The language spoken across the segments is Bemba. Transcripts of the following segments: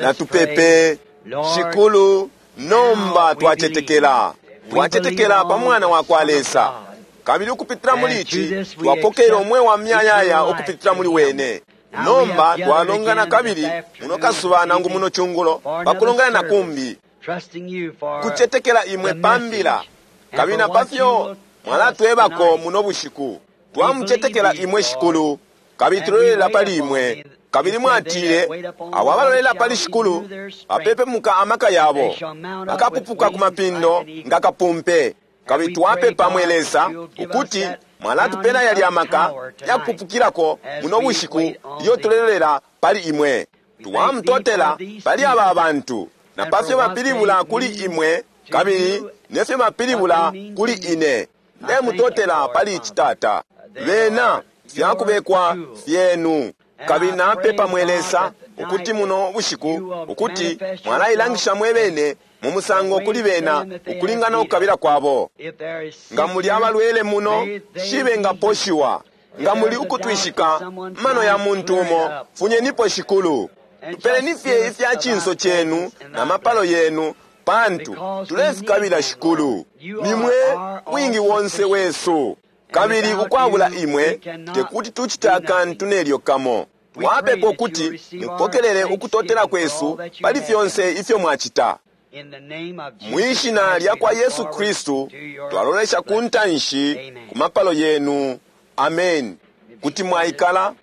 Natupepe. Shikulu, nomba twacetekela. Twacetekela pa Mwana wa kwa Lesa. Kabili ukupitila muli ici, twapokelela umweo wa muyayaya ukupitila muli wene. Nomba twalongana kabili muno kasuba nangu muno cungulo pa kulongana na kumbi, kucetekela imwe pa mbila kabili na pa fyo mwalatwebako muno bushiku. Twamucetekela imwe, Shikulu, kabili tulolela pali imwe. Kabili mwatile, abo abalolela pali Shikulu bapepemuka amaka yabo, bakapupuka ku mapindo nga kapumpe. Kabili twapepa, mwe Lesa, ukuti mwalatupela yalya amaka yakupupukilako muno bushiku ilyo tulelolela pali imwe. Twamutotela pali aba bantu na pa fyo bapilibula kuli imwe kabili ne fyo bapilibula kuli ine. Ndemutotela pali ici, Tata. Bena fyakubekwa fyenu. Kabili napepa, mwe Lesa, ukuti muno bushiku ukuti mwalailangisha mwe bene mu musango kuli bena ukulingana ukukabila kwabo. Nga muli abalwele muno, shi bengaposhiwa. Nga muli ukutwishika mano ya muntu umo, funyenipo, Shikulu. Tupeleni fye ifya cinso cenu na mapalo yenu, pantu tulefikabila, Shikulu. Nimwe wingi wonse wesu, kabili ukwabula imwe tekuti tucite akantu nelyo kamo. Twapepa ukuti mupokelele ukutotela kwesu pali fyonse ifyo mwacita. Mwi shina lya kwa Yesu Kristu twalolesha ku ntanshi ku mapalo yenu. Amen. Kuti mwaikala.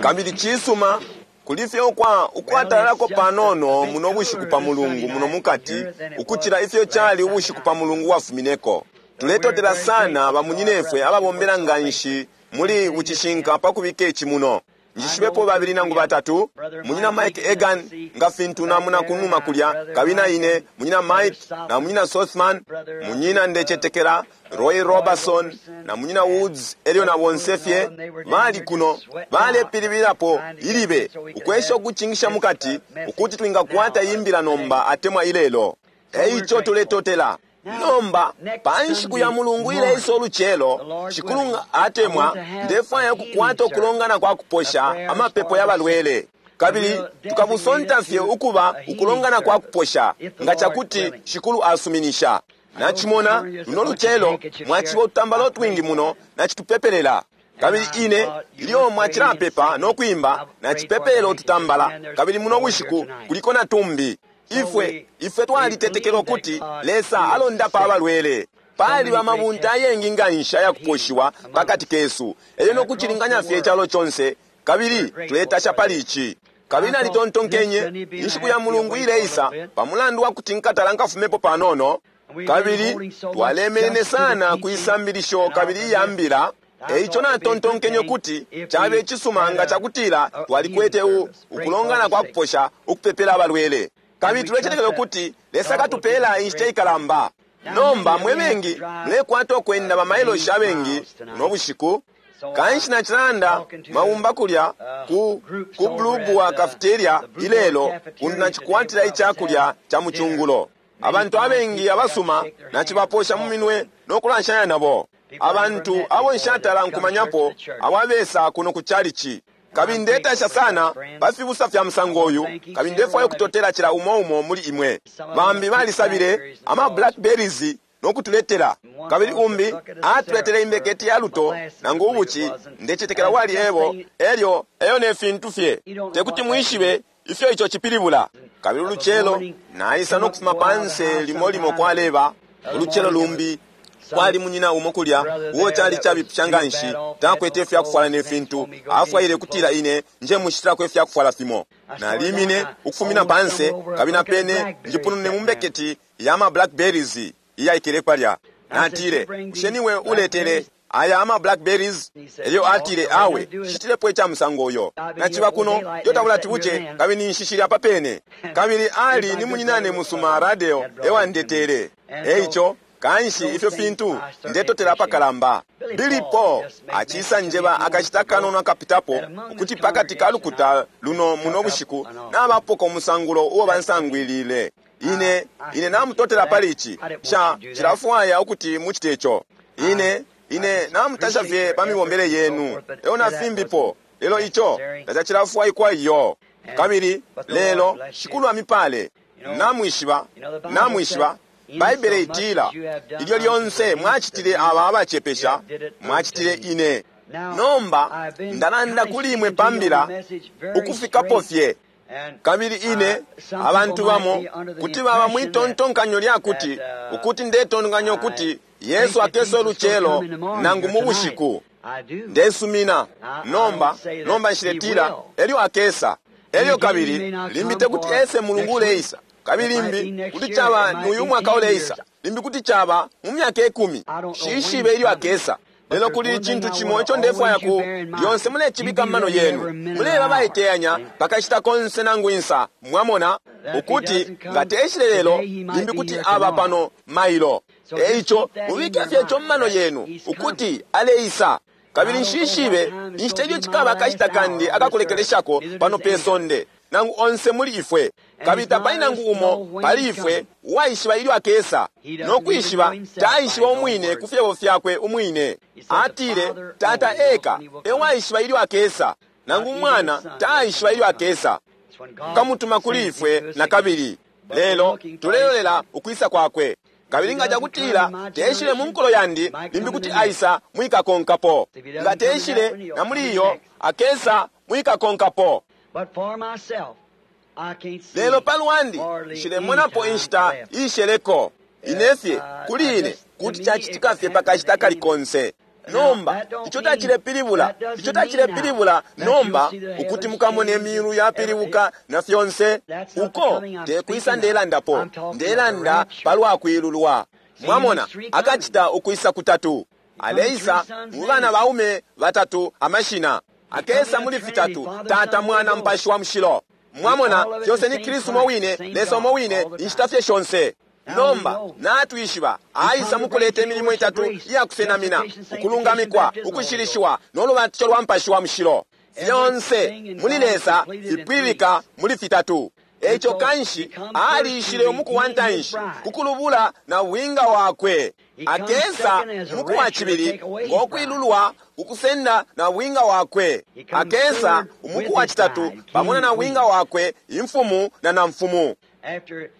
Kabili cisuma kuli fye ukwa ukwatalako panono muno bushiku pa Mulungu muno mukati ukucila ifyo cali ubushiku pa Mulungu wafumineko. Tuletotela sana bamunyinefwe ababombela nga nshi muli bucishinka pa kubika ici muno. Njishibepo babili nangu batatu, Munyina Mike Egan, nga fintu namona kunuma kulya, kabili na ine, Munyina Mike na Munyina Sothmann, Munyina, ndecetekela, Roy Roberson na Munyina Woods, elyo na bonse fye bali kuno balepilibilapo ilibe ukwesha ukucingisha mukati ukuti twingakwata imbila nomba atemwa ilelo. Eico tuletotela. Nomba pa nshiku ya Mulungu ileisa ulucelo, Shikulu atemwa, ndefwaya ukukwata ukulongana kwa kuposha, amapepo ya balwele, kabili tukabusonta fye ukuba ukulongana kwa kuposha nga cakuti Shikulu asuminisha. Nacimona luno lucelo mwaciba ututambala utwingi muno nacitupepelela. Kabili ine ilyo mwacilapepa no kwimba, nacipepelela ututambala, kabili muno bushiku kuliko na tumbi. Ifwe, ifwe twalitetekela ukuti Lesa alondapa abalwele. Paliba amabunte ayengi nga nshi ayakuposhiwa pakati kesu, elyo no kucilinganya fye icalo conse, kabili tuletasha pali ici. Kabili nalitontonkenye, inshiku ya Mulungu ileisa, pa mulandu wa kuti nkatala nkafumepo panono, kabili twalemenene sana ku isambilisho kabili iya mbila. Eico natontonkenye ukuti cabe icisuma nga cakutila twalikwete u, ukulongana kwa kuposha, ukupepela abalwele. Kabili tulecetekela ukuti Lesa akatupela inshita ikalamba. Nomba mwe bengi mulekwata ukwenda bamailoshi abengi no bushiku. Kanshi nacilanda mabumba kulya ku, ku Blue Boar Cafeteria ilelo, kuntu nacikwatila icakulya ca mucungulo. Abantu abengi abasuma nacibaposha mu minwe no kulanshanya nabo. Abantu abo nshatala nkumanyapo abo abesa kuno ku chalichi. Kabili ndetasha sana pa fibusa fya musango uyu, kabili ndefwaya ukutotela cila umo umo muli imwe. Bambi balisabile ama blackberries no kutuletela, kabili umbi atuletele imbeketi ya luto nangu ubuci, ndecetekela wali ebo, elyo eyo ne fintu fye. Tekuti mwishibe ifyo ico cipilibula. Kabili ulucelo naisa no kufuma panse limo limo kwaleba ulucelo lumbi kwali munyina umo kulya uo cali cabipisha nga nshi, takwete ifya kufwala ne fintu, afwaile kutila ine nje mushitilako ifya kufwala fimo. Nalimine ukufumina panse, kabili napene njipunune mu mbeketi ya ma blackberries iyaikele palya. Natile, "Bushe niwe uletele aya ama blackberries?" Elyo atile, "Awe, nshitilepo ica musango uyo. Naciba kuno ilyo tabulati buce, kabili ninshi shili apa pene." Kabili ali ni munyinane musuma Radeo ewandetele. Eico kanshi ifyo fintu ndetotela apakalamba. Billy Paul acisa njeba akashita kanono akapitapo ukuti pakati ka lukuta luno muno bushiku nabapoka umusangulo uo bansangwilile. Ine, ine namutotela pali ici. Sha cilafwaya ukuti mucite ico. Ine, ine namutasha fye pa mibombele yenu elyo na fimbipo, lelo ico tacacilafwaikwa iyo. Kabili lelo Shikulu amipale. Namwishiba, namwishiba, Baibele itila, ilyo lyonse mwacitile aba abacepesha, mwacitile ine. Nomba ndalanda kuli imwe pa mbila ukufikapo fye. Kabili ine, abantu bamo kuti baba mwitontonkanyo lya kuti, ukuti ndetontonkanya ukuti Yesu akesa ulucelo nangu mu bushiku. Ndesumina. Nomba, nomba nshiletila elyo akesa. Elyo kabili limbi tekuti ese mulungu uleisa. Kabili limbi kuti caba nuyu mwaka uleisa. Limbi kuti caba mu myaka 10. Nshishibe ilyo akesa. Lelo kuli icintu cimo ico ndefwaya ku lyonse mulecibika mu mano yenu. Muleba baiteyanya pakashita konse nangu insa. Mwamona ukuti nga teshile lelo limbi kuti aba pano mailo. Eico mubike fye ico mu mano yenu ukuti aleisa. Kabili nshishibe inshita ilyo cikaba akashita kandi akakulekeleshako pano pe sonde, nangu onse muli ifwe. Kabili tapali nangu umo pali ifwe uwaishiba ilyo akesa, no kwishiba taishiba umwine ku fyebo fyakwe umwine. Atile Tata eka ewaishiba ilyo akesa, nangu umwana taishiba ilyo akesa. Kamutuma kuli ifwe na kabili. Lelo tulelolela ukwisa kwakwe. Kabili nga cakutila teshile mu nkulo yandi, limbi kuti aisa mwikakonkapo. Nga teshile na muli iyo, akesa mwikakonkapo. Lelo palwandi nshilemonapo inshita isheleko. Inefye kuli ine kuti cacitika fye pakashita kali konse. Nomba ico tacilepilibula, ico tacilepilibula nomba ukuti mukamone imiulu yapilibuka na fyonse. Uko tekwisa ndelandapo, ndelanda palwa kwilulwa. Mwamona akacita ukwisa kutatu. Aleisa mu bana baume batatu amashina. Akesa muli fitatu, Tata, Mwana, Mupashi wa Mushilo. Mwamona fyonse ni Kristu mo wine, Lesa mo wine, inshita fye shonse. Nomba natwishiba aisa mukuleta imilimo itatu iyakusenamina, ukulungamikwa, ukushilishiwa nolubatisho lwa Mupashi wa Mushilo. Fyonse muli Lesa fipwilika muli fitatu. Eico kanshi aliishile umuku wa ntanshi kukulubula na bwinga wakwe. Akesa umuku wa cibili ngokwilulwa kukusenda na bwinga wakwe. Akesa umuku wa citatu pamona na bwinga wakwe, imfumu na namfumu.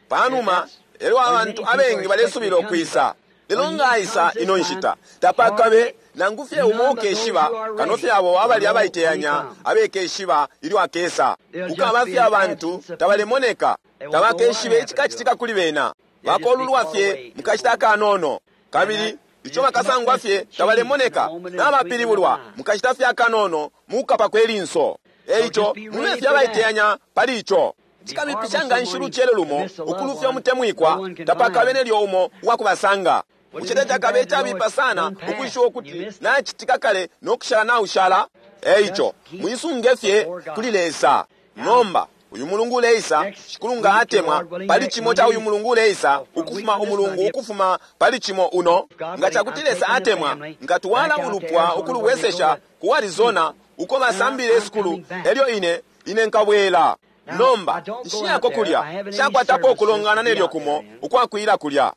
Panuma elyo abantu abengi balesubila ukwisa. Lelo nga aisa ino nshita tapakabe nangu fye umo ukeshiba, kano fye abo abali abaiteyanya abekeshiba ilyo akesa. Kukaba fye abantu tabalemoneka, tabakeshibe icikacitika kuli bena. Bakolulwa fye mukashita akanono, kabili ico bakasangwa fye tabalemoneka, nabapilibulwa mukashita fye akanono mukapa kwe linso. Eico mube fye abaiteyanya pali ico. Cikabipisha nga nshi lucelo lumo ukulufya umutemwikwa, tapakabe nelyo umo uwakubasanga. Bushe cakabe icabipa sana ukwishiba ukuti nacitika kale no kushala naushala? Eico mwisunge fye kuli Lesa. Nomba uyu mulungu uleisa, Shikulu nga atemwa, pali cimo ca uyu mulungu uleisa ukufuma umulungu ukufuma pali cimo uno. Nga cakuti Lesa atemwa, nkatwala ulupwa ukulubwesesha ku Arizona uko basambile isukulu, elyo ine ine nkabwela. Nomba nshiyako kulya, nshakwatapo ukulongana nelyo kumo ukwakwila kulya.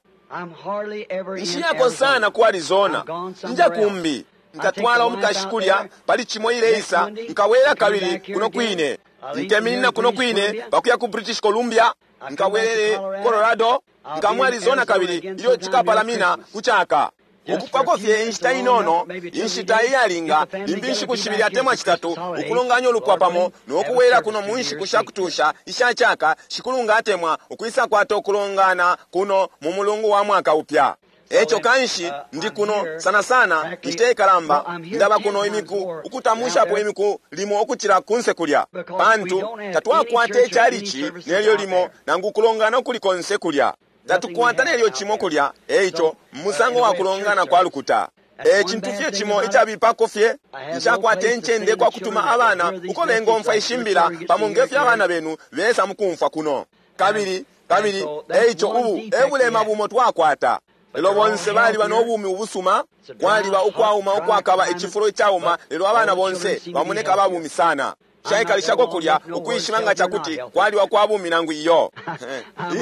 Nshiyako sana ku Arizona, nja kumbi. Nkatwala umukashi kulya pali cimo ileisa, nkabwela kabili kuno kwine. Nkeminina kuno kwine pakuya ku British Columbia, nkabwelele Colorado, nkamu Arizona kabili ilyo cikapalamina kuchaka. Ukupako fye inshita inono, inshita iyalinga, limbi inshiku shibili atemwa chitatu, ukulonganya ulupwa pamo nokuwela kuno mu nshiku shakutusha ishachaka. Shikulu nga atemwa ukwisa kwata ukulongana kuno mu mulungu wa mwaka upya. Eco kanshi ndi kuno sana sana inshita ikalamba, ndaba kuno imiku ukutamushapo imiku limo ukucila kunse kulya, pantu tatwakwata ichalichi nelyo limo nangu ukulongana ukuli konse kulya. Tatukwata nelyo cimo kulya. Eico musango wa kulongana kwa lukuta. Ecintu fye cimo icabipako fye, nshakwata incende kwa kutuma abana uko bengomfwa ishimbila pamo ngefyo abana benu besa mukumfwa kuno. Kabili kabili eico ubu ebulema bumo twakwata. Lelo bonse baliba nobumi ubusuma, kwaliba ukwauma ukwakaba icifulo icauma, lelo abana bonse bamoneka ababumi sana. Shaikalishako kulya ukwishiba nga cakuti kwaliba kwa bumi nangu iyo.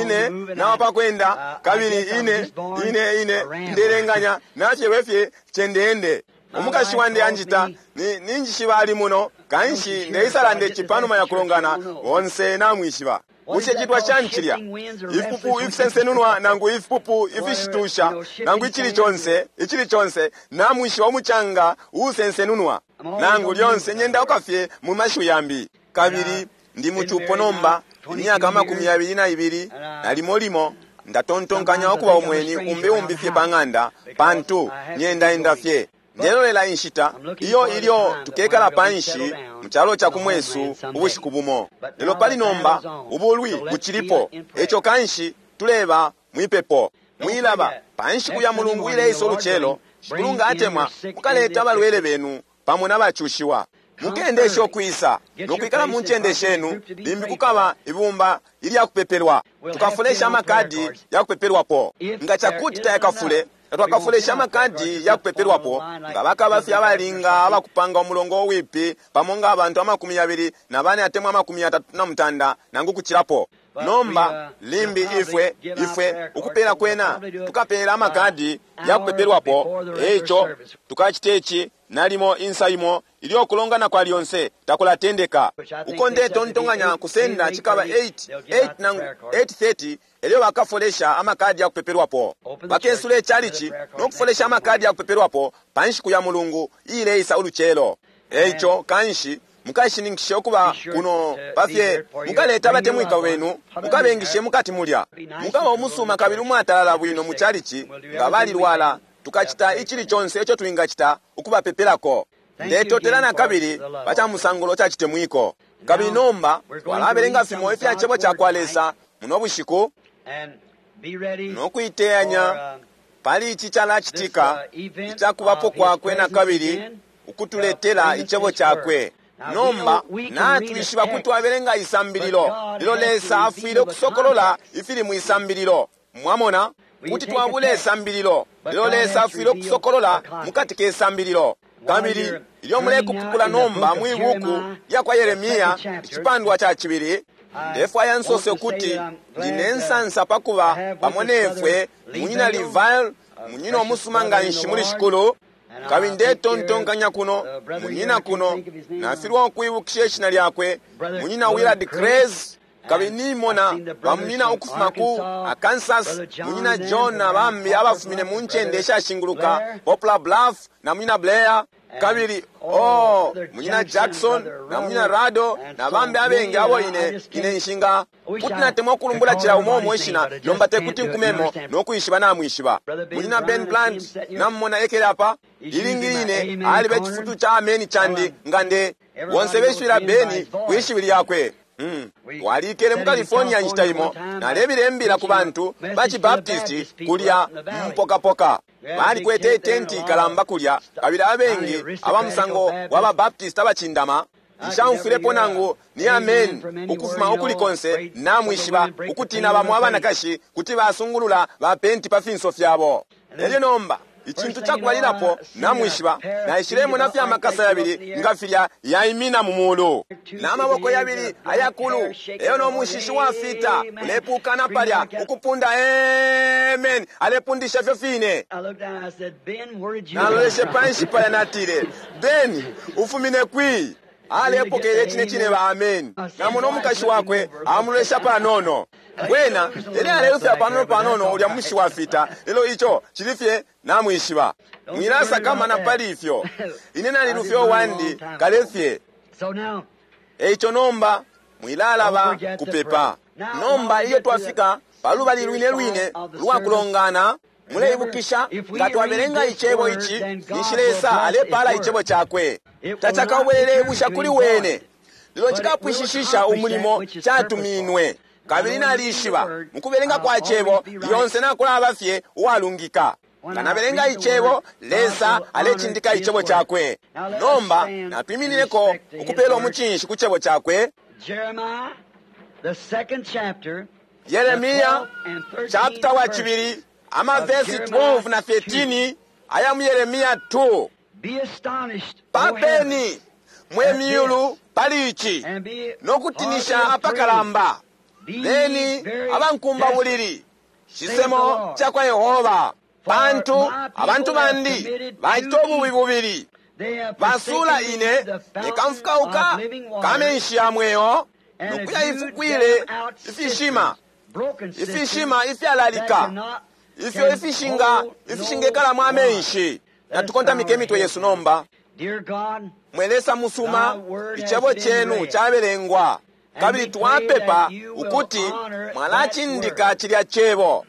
Ine nawapakwenda kabili ine ine ine ndelenganya nachelwe fye chendeende. Umukashi wandi anjita ninjishiba ali muno. Kanshi ndeisalanda ici panuma ya kulongana, bonse namwishiba. Bushe citwa shani cilya? Ifipupu ifisensenunwa nangu ifipupu ifishitusha nangu icili conse, icili conse, namwishiba umucanga uusensenunwa. Nangu lyonse nyendauka fye mu mashiwi yambi. Kabili ndi mucupo nomba imyaka 22, na limo limo ndatontonkanya ukuba umweni umbi umbi fye pa ng'anda, pantu nyendaenda fye. Ndelolela inshita iyo ilyo tukekala panshi mu calo ca kumwesu ubushiku bumo. Lelo pali nomba ubulwi bucilipo, eco kanshi tuleba mwipepo. Mwilaba pa nshiku ya Mulungu ileisa ulucelo, Shikulu nga atemwa, mukaleta abalwele benu pamo na bacushiwa. Mukendeshe ukwisa nokwikala mu ncende shenu, limbi kukaba ibumba ilya kupepelwa. Tukafulesha amakadi ya kupepelwapo. Nga cakuti tayakafule, twakafulesha amakadi ya kupepelwapo, nga bakaba fye abalinga abakupanga umulongo uwipi pamo nga abantu 24 atemwa 39 nangu kucilapo. Nomba limbi ifwe ifwe ukupela kwena tukapela amakadi ya kupepelwapo, eco tukacita ici nalimo insa imo ilyo kulongana kwa lyonse takulatendeka. Uko ndetontonkanya kusenda cikaba 8 8 nangu 8:30 elyo bakafolesha amakadi ya kupepelwapo. Bakesula icalici no kufolesha amakadi ya kupepelwapo pa nshiku ya Mulungu iileisa ulucelo. Eico kanshi mukashininkishe ukuba kuno pafye, mukaleta abatemwika benu, mukabengishe mukati mulya. Mukaba umusuma kabili umwatalala bwino mu calici nga balilwala. Tukacita icili conse ico twingacita ukubapepelako. Ndetotela na kabili pa ca musangulo ca citemwiko. Kabili nomba twalabelenga fimo ifya cebo ca kwa Lesa muno bushiku no kuiteyanya pali ici calacitika icakubapo kwakwe na kabili ukutuletela icebo cakwe. Nomba natwishiba kuti twabelenga isambililo, lelo Lesa afwile ukusokolola ifili mwi sambililo. Mwamona? Kuti twabula isambililo, lelo Lesa afwile ukusokolola mukati ke sambililo. Kabili ilyo mulekupukula nomba mwi buku lya kwa Yeremia icipandwa ca cibili, ndefwaya nsose ukuti ndine nsansa pakuba pamo nefwe munyina Livile, munyina umusuma nga nshi muli Shikulu. Kabili ndetontonkanya kuno munyina kuno nafilwa ukwibukisha ishina lyakwe, munyina Willard Craze. Kabili nimona bamunyina ukufuma ku Arkansas, munyina John na bambi abafumine mu ncende ishashinguluka Poplar Bluff na munyina Blair. Kabili oh, munyina Jackson na munyina Rado na bambi abengi abo ine ine nshinga kuti natemwa ukulumbula cila umo umo ishina, nomba tekuti nkumemo no kwishiba namwishiba. Munyina Ben Plant namumona ekele apa, ilingi line aliba icifutu ca ameni candi nga nde bonse beshwila Beni kwishiwi lyakwe. Twalikele mu California nshita imo, nalebila imbila ku bantu ba Cibaptisti kulya mupokapoka. Balikwete itenti ikalamba kulya, kabili abengi aba musango wa Babaptisti abacindama. Nshaumfwilepo nangu ni ameni ukufuma ukuli konse. Namwishiba ukutina bamo abanakashi kuti basungulula bapenti pa finso fyabo. Elyo nomba icintu cakubalilapo namwishiba, naishilemo fye amakasa yabili nga filya yaimina mu mulu, na maboko yabili ayakulu, eyo no mushishi wafita ulepukana palya ukupunda amen, alepundisha fyo fine. Naloleshe panshi palya natile, Ben, ufumine kwi? Alepokele cine cine ba amen. Namona umukashi wakwe amulolesha panono. Wena ele alelufya panono panono ulya mushi wafita, lelo ico cili fye namwishiba. Mwilasakamana pali ifyo. Ine nalilufya uwandi kale fye. Eico nomba mwilalaba kupepa. Nomba ilyo twafika palubali lwine lwine lwa kulongana, muleibukisha nga twabelenga icebo ici, ninshi Lesa alepala icebo cakwe. Tacakabwelele ibusha kuli wene, lelo cikapwishishisha umulimo catuminwe. Kabili nalishiba mukubelenga kwa cebo lyonse nakulaba fye uwalungika. Nga nabelenga icebo, Lesa alecindika icebo cakwe. Nomba natwiminineko ukupela umucinshi ku cebo cakwe. Yeremia chapter wa cibili, amavesi 12 na 13 aya mu Yeremia 2. Papeni mwe myulu pali ici no kutinisha apakalamba, beni abankumba bulili, cisemo ca kwa Yehova, pantu abantu bandi bacita ububi bubili. Basula ine ne kamfukauka ka menshi ya mweo, nokuya ifukwile ifishima, ifishima ifyalalika, ifyo ifishinga ifishingekalamo amenshi. Natukontamike imitwe yesu nomba. Mwe Lesa musuma, icebo cenu cabelengwa, kabili twapepa ukuti mwalacindika cilya cebo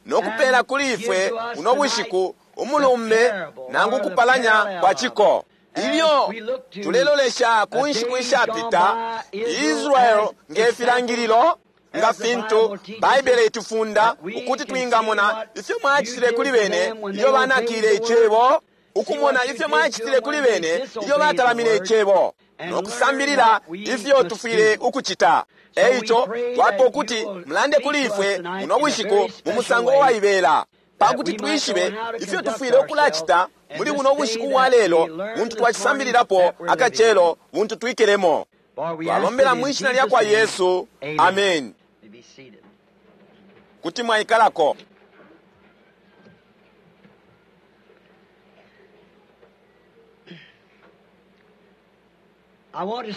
nokupela kuli ifwe uno bushiku umulumbe nangu kupalanya kwa ciko. Ilyo tulelolesha ku nshiku ishapita, Israel nge filangililo, nga fintu Baibele itufunda ukuti twingamona ifyo mwacitile kuli bene ilyo banakile icebo, ukumona ifyo mwacitile kuli bene ilyo batalamine icebo, no kusambilila ifyo tufwile ukucita. Eico twapa ukuti mulande kuli ifwe muno bushiku mu musango uwaibela, pakuti twishibe ifyo tufwile ukulacita muli buno bushiku bwa lelo, buntu twacisambililapo akacelo buntu twikelemo. Twalombela mwishina lya kwa Yesu, amen. Kuti mwaikalako.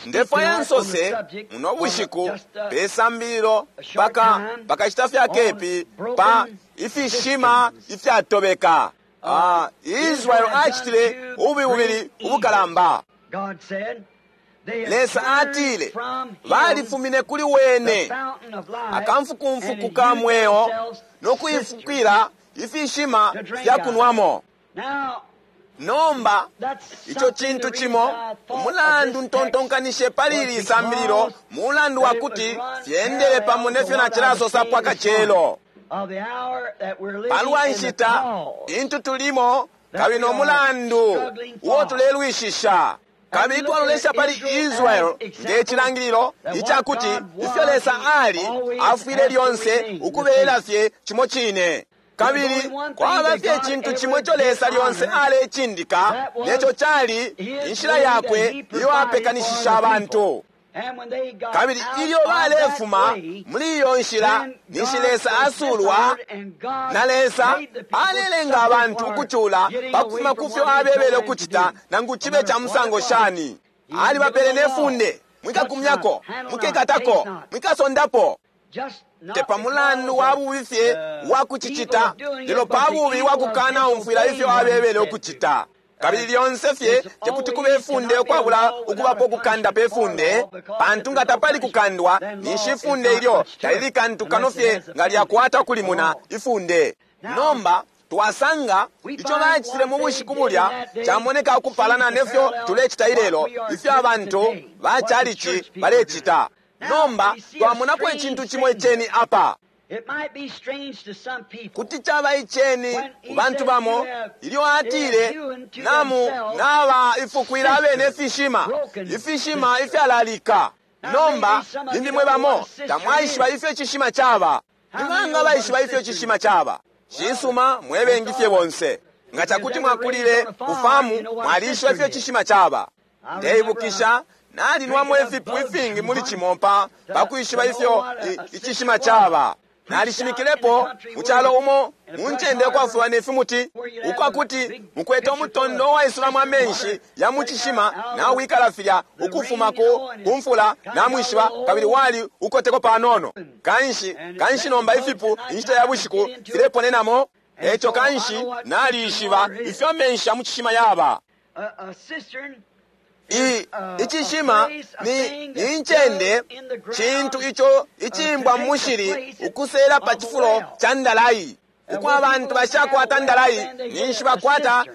Ndefwaya nsose muno bushiku pe sambililo paka pakachita fya kepi pa ifishima ifyatobeka. Israel acitile ububi bubili ubukalamba. Lesa atile balifumine kuli wene akamfukumfuku ka mweo nokuifukila ifishima fya kunwamo. Nomba ico cintu cimo umulandu ntontonkanishe pali ili sambililo mulandu wa kuti fyendele pamo nefyo nacilasosapo akacelo palwa nshita intu tulimo kabili no mulandu uo tulelwishisha. Kabili twalolesha pali Israel nge cilangililo icakuti ifyo Lesa ali afwile lyonse ukubela fye cimo cine. Kabili kwaba fye icintu cimo ico Lesa lyonse alecindika, neco cali inshila yakwe iyo apekanishisha abantu. Kabili ilyo balefuma muli iyo nshila, ninshi Lesa asulwa, na Lesa alelenga abantu ukucula pakufuma kufyo abebele ukucita, nangu cibe ca musango shani. Alibapele ne funde, mwikakumyako, mwikekatako, mwikasondapo. Te pa mulandu wa bubi fye wa kucicita, lelo pa bubi wa kukana umfwila ifyo abebele ukucita. Kabili lyonse fye tekuti kube ifunde ukwabula ukubapo kukanda pe funde, pantu nga tapali kukandwa ninshi ifunde ilyo talili kantu kano fye nga lyakwata kulimuna ifunde. Nomba twasanga ico bacitile mu bushiku bulya camoneka ukupalana nefyo tulecita ilelo, ifyo abantu ba chalichi balecita. Nomba twamonapo icintu cimo iceni apa. Kuti caba iceni ku bantu bamo ilyo atile namu naba ifukwila abene ifishima, ifishima ifyalalika. Nomba limbi mwe bamo tamwaishiba ifyo icishima caba. Nibanga baishiba ifyo icishima caba? Cisuma, mwebengi fye bonse. Nga cakuti mwakulile kufamu, mwalishiba ifyo icishima caba. Ndeibukisha nalinwamo ifipu ifingi muli cimo pa kwishiba ifyo icishima caba. Nalishimikilepo mu calo umo mu ncende ukwafuba ne fimuti, ukwakuti mukwete umutondo uwaisulamo amenshi ya mu cishima nawikala filya ukufuma ku mfula namwishiba, kabili wali ukoteko panono. Kanshi kanshi nomba ifipu inshita ya bushiku fileponenamo. Eco kanshi nalishiba ifyo amenshi ya mu cishima yaba. Icishima ni incende cintu ico icimbwa mushili ukusela pa cifulo ca ndalai. Uko abantu bashakwata ndalai ninshi bakwata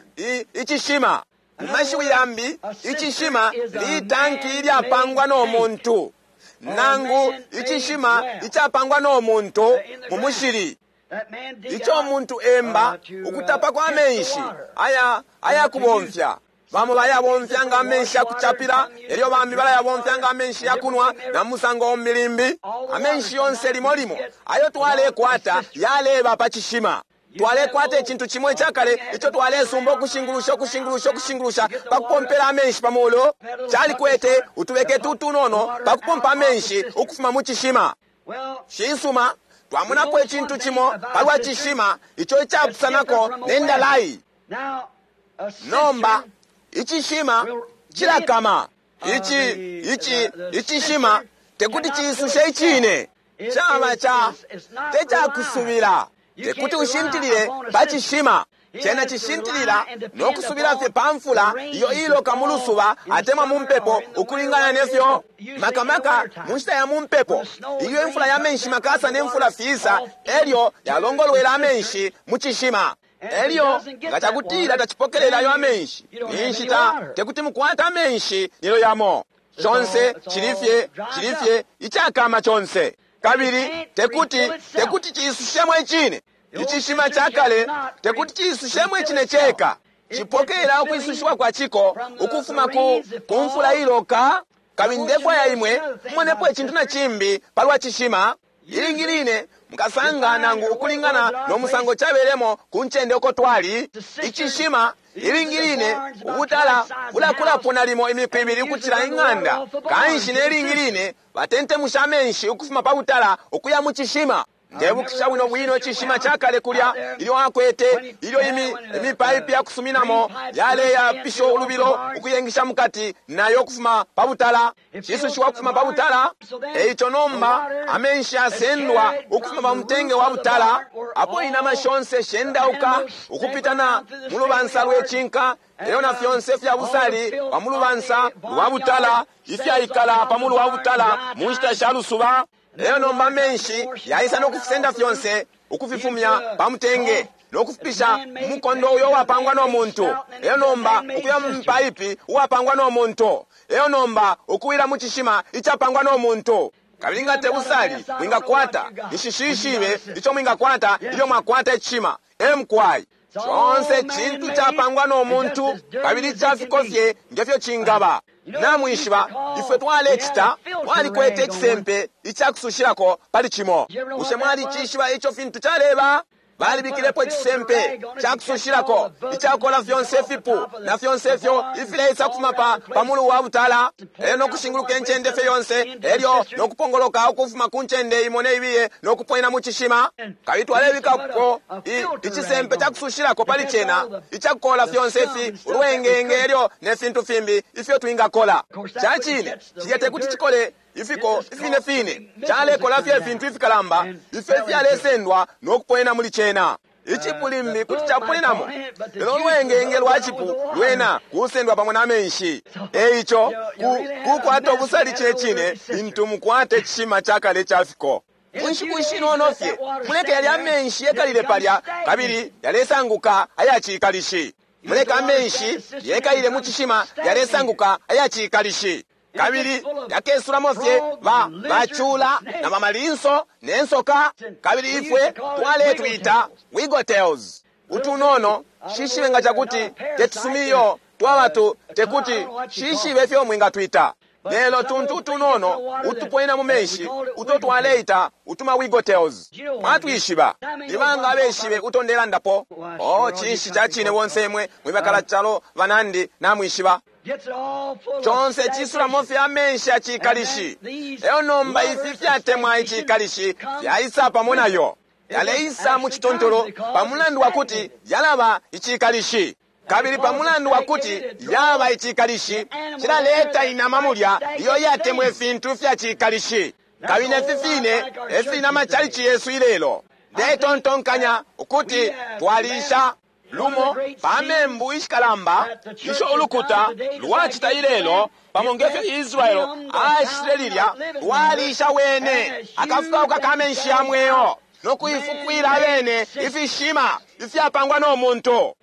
icishima. Mu mashiwi yambi, icishima litanki ilyapangwa no muntu, nangu icishima icapangwa no muntu mu mushili. Ico muntu emba ukutapa kwa menshi aya kubomfya. Bamo bayabomfya nga amenshi ya kuchapila, elyo bambi balayabomfya nga amenshi ya kunwa na musango milimbi. Amenshi yonse limo limo ayo twalekwata yaleba pa cishima. Twalekwata icintu cimo icakale ico twalesumba ukushingulusha ukushingulusha ukushingulusha pakupompela amenshi pa mulu. Calikwete utubeke tutunono pakupompa amenshi ukufuma mu cishima. Cisuma, twamonapo icintu cimo palwa cishima ico icapusanako ne ndalai. Nomba Icishima cilakama. Ici ici icishima tekuti ciisushe icine. Caba ca te cakusubila. Tekuti ushintilile pa cishima. Cena cishintilila no kusubila fye pa mfula iyo iloka mu lusuba atemwa mu mpepo, ukulingana nefyo makamaka mu nshita ya mu mpepo, ilyo imfula ya menshi makasa ne mfula fiisa, elyo yalongolwela amenshi mu cishima. Elyo nga cakutila tacipokelela ayo amenshi, ninshi ta tekuti mukwate amenshi nelyo yamo. Conse cilifye cilifye icakama conse, kabili tekuti tekuti ciisushemo icine. Icishima ca kale tekuti ciisushemo icine ceka. Cipokelela ukwisushiwa kwa ciko ukufuma ku ku mfula iloka. Kabili ndefwaya imwe mumonepo icintu na cimbi palwa cishima. Ilingi line mukasanga nangu ukulingana no musango cabelemo ku ncende uko twali icishima, ilingi line ubutala bulakulapo nalimo imiku ibili ukucila ing'anda. Kanshi ne lingi line batentemusha amenshi ukufuma pa butala ukuya mu cishima. Ndebukisha bwino bwino icishima cakale kulya, ilyo akwete ilyo imi imipaipi ya kusuminamo yaleyapisha ulubilo ukuyengisha mukati nayo ukufuma pa butala, cisushiwa ukufuma pa butala. Eico nomba amenshi asendwa ukufuma pa mutenge wa butala, apo inama shonse shendauka ukupitana mu lubansa lwe cinka, elyo na fyonse fya busali pa mu lubansa lwa butala ifyaikala pa mulu wa butala mu nshita sha lusuba. Lelo nomba amenshi yaisa no kufisenda fyonse ukufifumya pa mutenge no kufipisha mu mukondo uyo uwapangwa no muntu. Lelo nomba ukuya mu mpaipi uwapangwa no muntu. Lelo nomba ukuwila mu cishima icapangwa no muntu. Kabili nga te busali mwingakwata, nishishishibe ico mwingakwata ilyo mwakwata icishima. Emkwai conse cintu capangwa no muntu, kabili cafiko fye ngefyo cingaba. Namwishiba ifwe twalecita, twalikwete icisempe icakusushilako pali cimo. Bushe mwalicishiba ico fintu caleba? Balibikilepo icisempe cakusushilako icakola fyonse ifipu na fyonse ifyo ifileisa kufuma pa pamulu wa butala, elyo no kushinguluka incende fye yonse, elyo no kupongoloka ukufuma ku ncende imo ne ibiye no kuponya mu cishima. Kabili twalebikako icisempe cakusushilako pali cena icakukola fyonse ifi ulwengenge elyo ne fintu fimbi ifyo twingakola. Cacine cilya tekuti cikole ifiko ifine fine, calekola fye ifintu ifikalamba ifyo ifyalesendwa no kuponena muli cena. Icipu limbi kuti caponenamo, lelo ulwengenge lwa cipu lwena kusendwa pamo na menshi. Eico kukwata ubusali cine cine lintu mukwate icishima cakale ca fiko. Mu nshiku ishinono fye muleke yalya amenshi yekalile palya, kabili yalesanguka ayacikalishi. Muleke amenshi yekalile mu cishima, yalesanguka ayacikalishi, kabili yakesulamo fye ba bacula na bamalinso ne nsoka. Kabili ifwe twaletwita wigotels utunono. Shishibe nga cakuti tetusumiyo twabatu, tekuti shishibe ifyo mwingatwita, lelo tuntu utunono utuponena mu menshi uto twaleita utuma wigotels. Mwatwishiba nibanga abeshibe uto ndelandapo? Oh, cinshi ca cine bonse imwe mwibakala calo banandi namwishiba. Conse cisulamo fye amenshi acikalishi. Eyo nomba ifi fyatemwa icikalishi fyaisa pamo nayo, yaleisa mu citontolo pa mulandu wa kuti yalaba icikalishi. Kabili pa mulandu wa kuti yaba icikalishi, cilaleta inama mulya iyo yatemwa ifintu fya cikalishi. Kabili nefi fine efili na macalici yesu ilelo. Ndetontonkanya ukuti twalisha lumo pa membu ishikalamba isho ulukuta lwacita ilelo, pamo ngefyo Israeli acitile lilya, lwalisha wene akafukauka ka menshi ya mweo no kuifukwila abene ifishima ifyapangwa no muntu.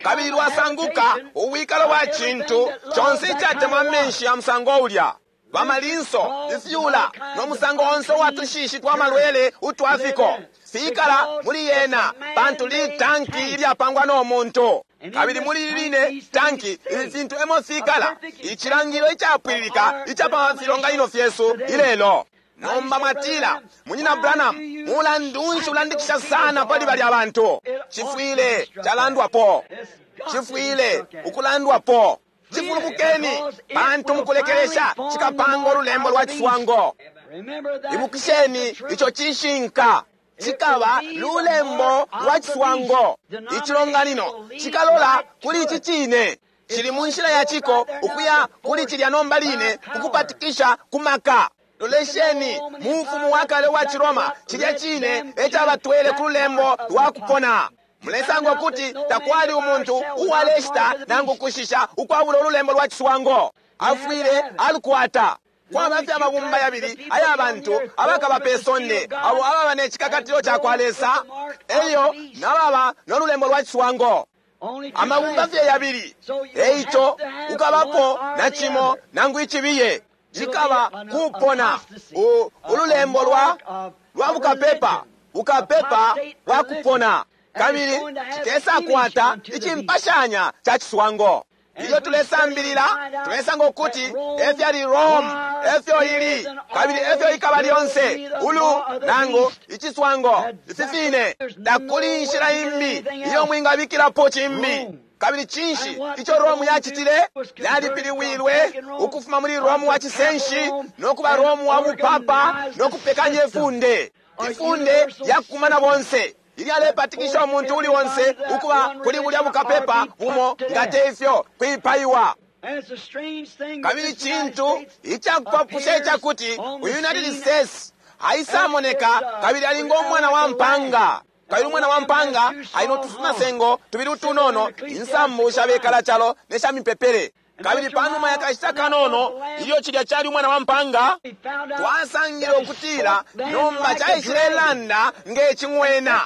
Kabili lwasanguka ubwikalo bwa cintu conse icatemwa amenshi ya musango ulya, bamalinso, ifyula no musango onse uwa tushishi twa malwele utwafiko fikala muli yena, pantu litanki ilyapangwa no muntu. Kabili muli line tanki ifi fintu emo fikala, icilangilo icapwililika icapa filonganino fyesu ilelo. Nomba mwatila, Munyina Branham, mulandu nshi ulandikisha sana pali balya bantu? Cifwile calandwapo, cifwile ukulandwapo. Cifulumukeni, pantu mukulekelesha cikapanga ululembo lwa ciswango. Ibukisheni ico cishinka, cikaba lulembo lwa ciswango. Icilonganino cikalola kuli ici cine. Cili mu nshila ya ciko ukuya kuli cilya nomba line kukupatikisha ku maka. Lolesheni mu mfumu wa kale wa Ciroma, cilya cine e cabatwele ku lulembo lwa kupona. Mulesanga ukuti takwali umuntu uwaleshita nangu kushisha ukwabula ululembo lwa ciswango. Afwile alukwata. Kwaba fye amabumba yabili aya bantu abakaba pe sonde, abo ababa ne cikakatilo ca kwa Lesa elyo nababa no lulembo lwa ciswango. Amabumba fye yabili. Eico ukabapo na cimo nangu icibiye. Cikaba kupona ululembo lwa bukapepa, bukapepa bwa kupona, kabili cikesakwata icimpashanya ca ciswango. Ilyo tulesambilila tulesanga ukuti efyali Rome, efyo ili, kabili efyo ikaba lyonse ulu nangu iciswango. Ifi fine, takuli inshila imbi iyo mwingabikilapo cimbi. Kabili cinshi ico Rome yacitile? Yalipiliwilwe ukufuma muli Rome wa cisenshi no kuba Rome wa bupapa no kupekanya ifunde. Ifunde lyakukumana bonse ilyalepatikisha umuntu uli onse ukuba kuli bulya bukapepa bumo, nga te ifyo kwipaiwa. Kabili cintu icakupapusha icakuti United States aisamoneka kabili ali ngo mwana wa mpanga. Kabili umwana wa mpanga ali no tufumasengo tubili utunono, insambu sha bekala calo ne sha mipepele. Kabili panuma ya kashita kanono, ilyo cilya cali umwana wa mpanga, twasangile ukutila nomba caishilelanda nge cing'wena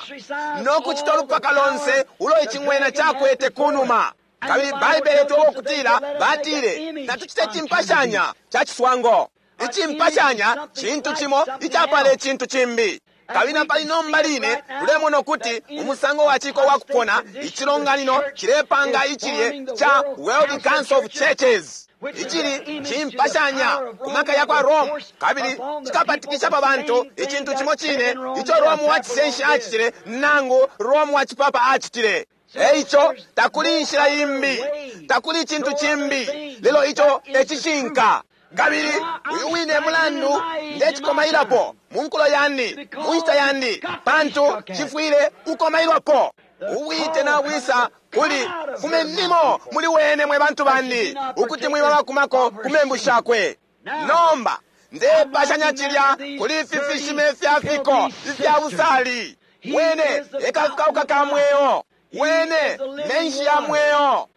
no kucita ulupaka lonse ulo icing'wena cakwete kunuma. Kabili Baibele itweba ukutila batile natucite cimpashanya ca ciswango. Icimpashanya cintu cimo icapala icintu cimbi. Kabili napali nomba line tulemona ukuti umusango wa ciko wa kupona icilonganino cilepanga icilye ca World Council of Churches, icili cimpashanya ku maka ya kwa Rome, kabili cikapatikisha pa bantu icintu cimo cine ico Rome wa cisenshi acitile nangu Rome wa cipapa acitile. Eico takuli inshila imbi, takuli icintu cimbi, lelo ico e cishinka. Kabili uyu wine mulandu ndecikomailapo mu nkulo yandi, mu nshita yandi, pantu cifwile kukomailwapo. Ubwite nabwisa kuli fumenimo muli wene mwe bantu bandi, ukuti mwiba bakumako ku membu shakwe. Nomba ndepashanya cilya kuli ifi fishime fya fiko ifya busali. Wene ekafikauka ka mweo, wene menshi ya mweo.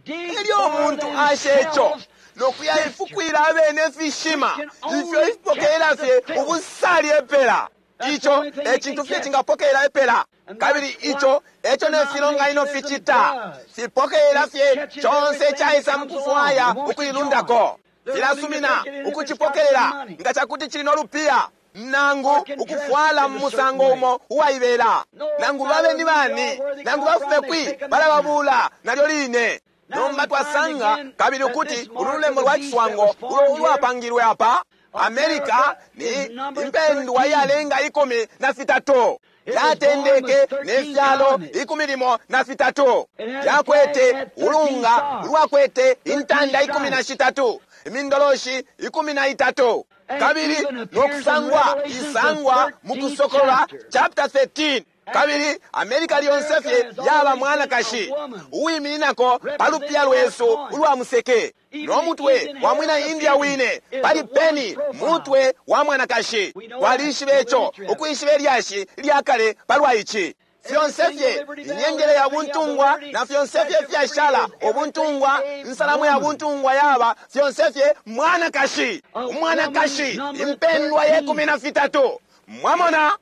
Elyo umuntu asha ico nokuya ifukwila abene ifishima ifyo ifipokelela fye ubusali epela. Ico e cintu fye cingapokelela epela. Kabili ico eco ne filonganino ficita, fipokelela fye conse caisa mukufwaya ukuilundako. Filasumina ukucipokelela nga cakuti cili no lupiya nangu ukufwala mu musango umo uwaibela, nangu babe ni bani, nangu bafume kwi, balababula nalyo line. Nomba twasanga kabili ukuti ulu lulembo lwa ciswango ulo ulwapangilwe apa America ni impendwa iyalenga 13. Yatendeke ne fyalo 13. Yakwete ulunga ulwakwete intanda 13, imindoloshi 13. Kabili nokusangwa isangwa mukusokolola chapter 13. Kabili America lyonse fye yaba mwanakashi uwimininako pa lupiya lwesu ulwa museke, no mutwe wa mwina India wine pali peni mutwe wa mwanakashi. Twalishiba ico, ukwishiba ilyashi lya kale palwa ici. Fyonse fye inyengele ya buntungwa na fyonse fye fyashala ubuntungwa, insalamu ya buntungwa yaba fyonse fye mwanakashi, umwanakashi impendwa ye 13. Mwamona?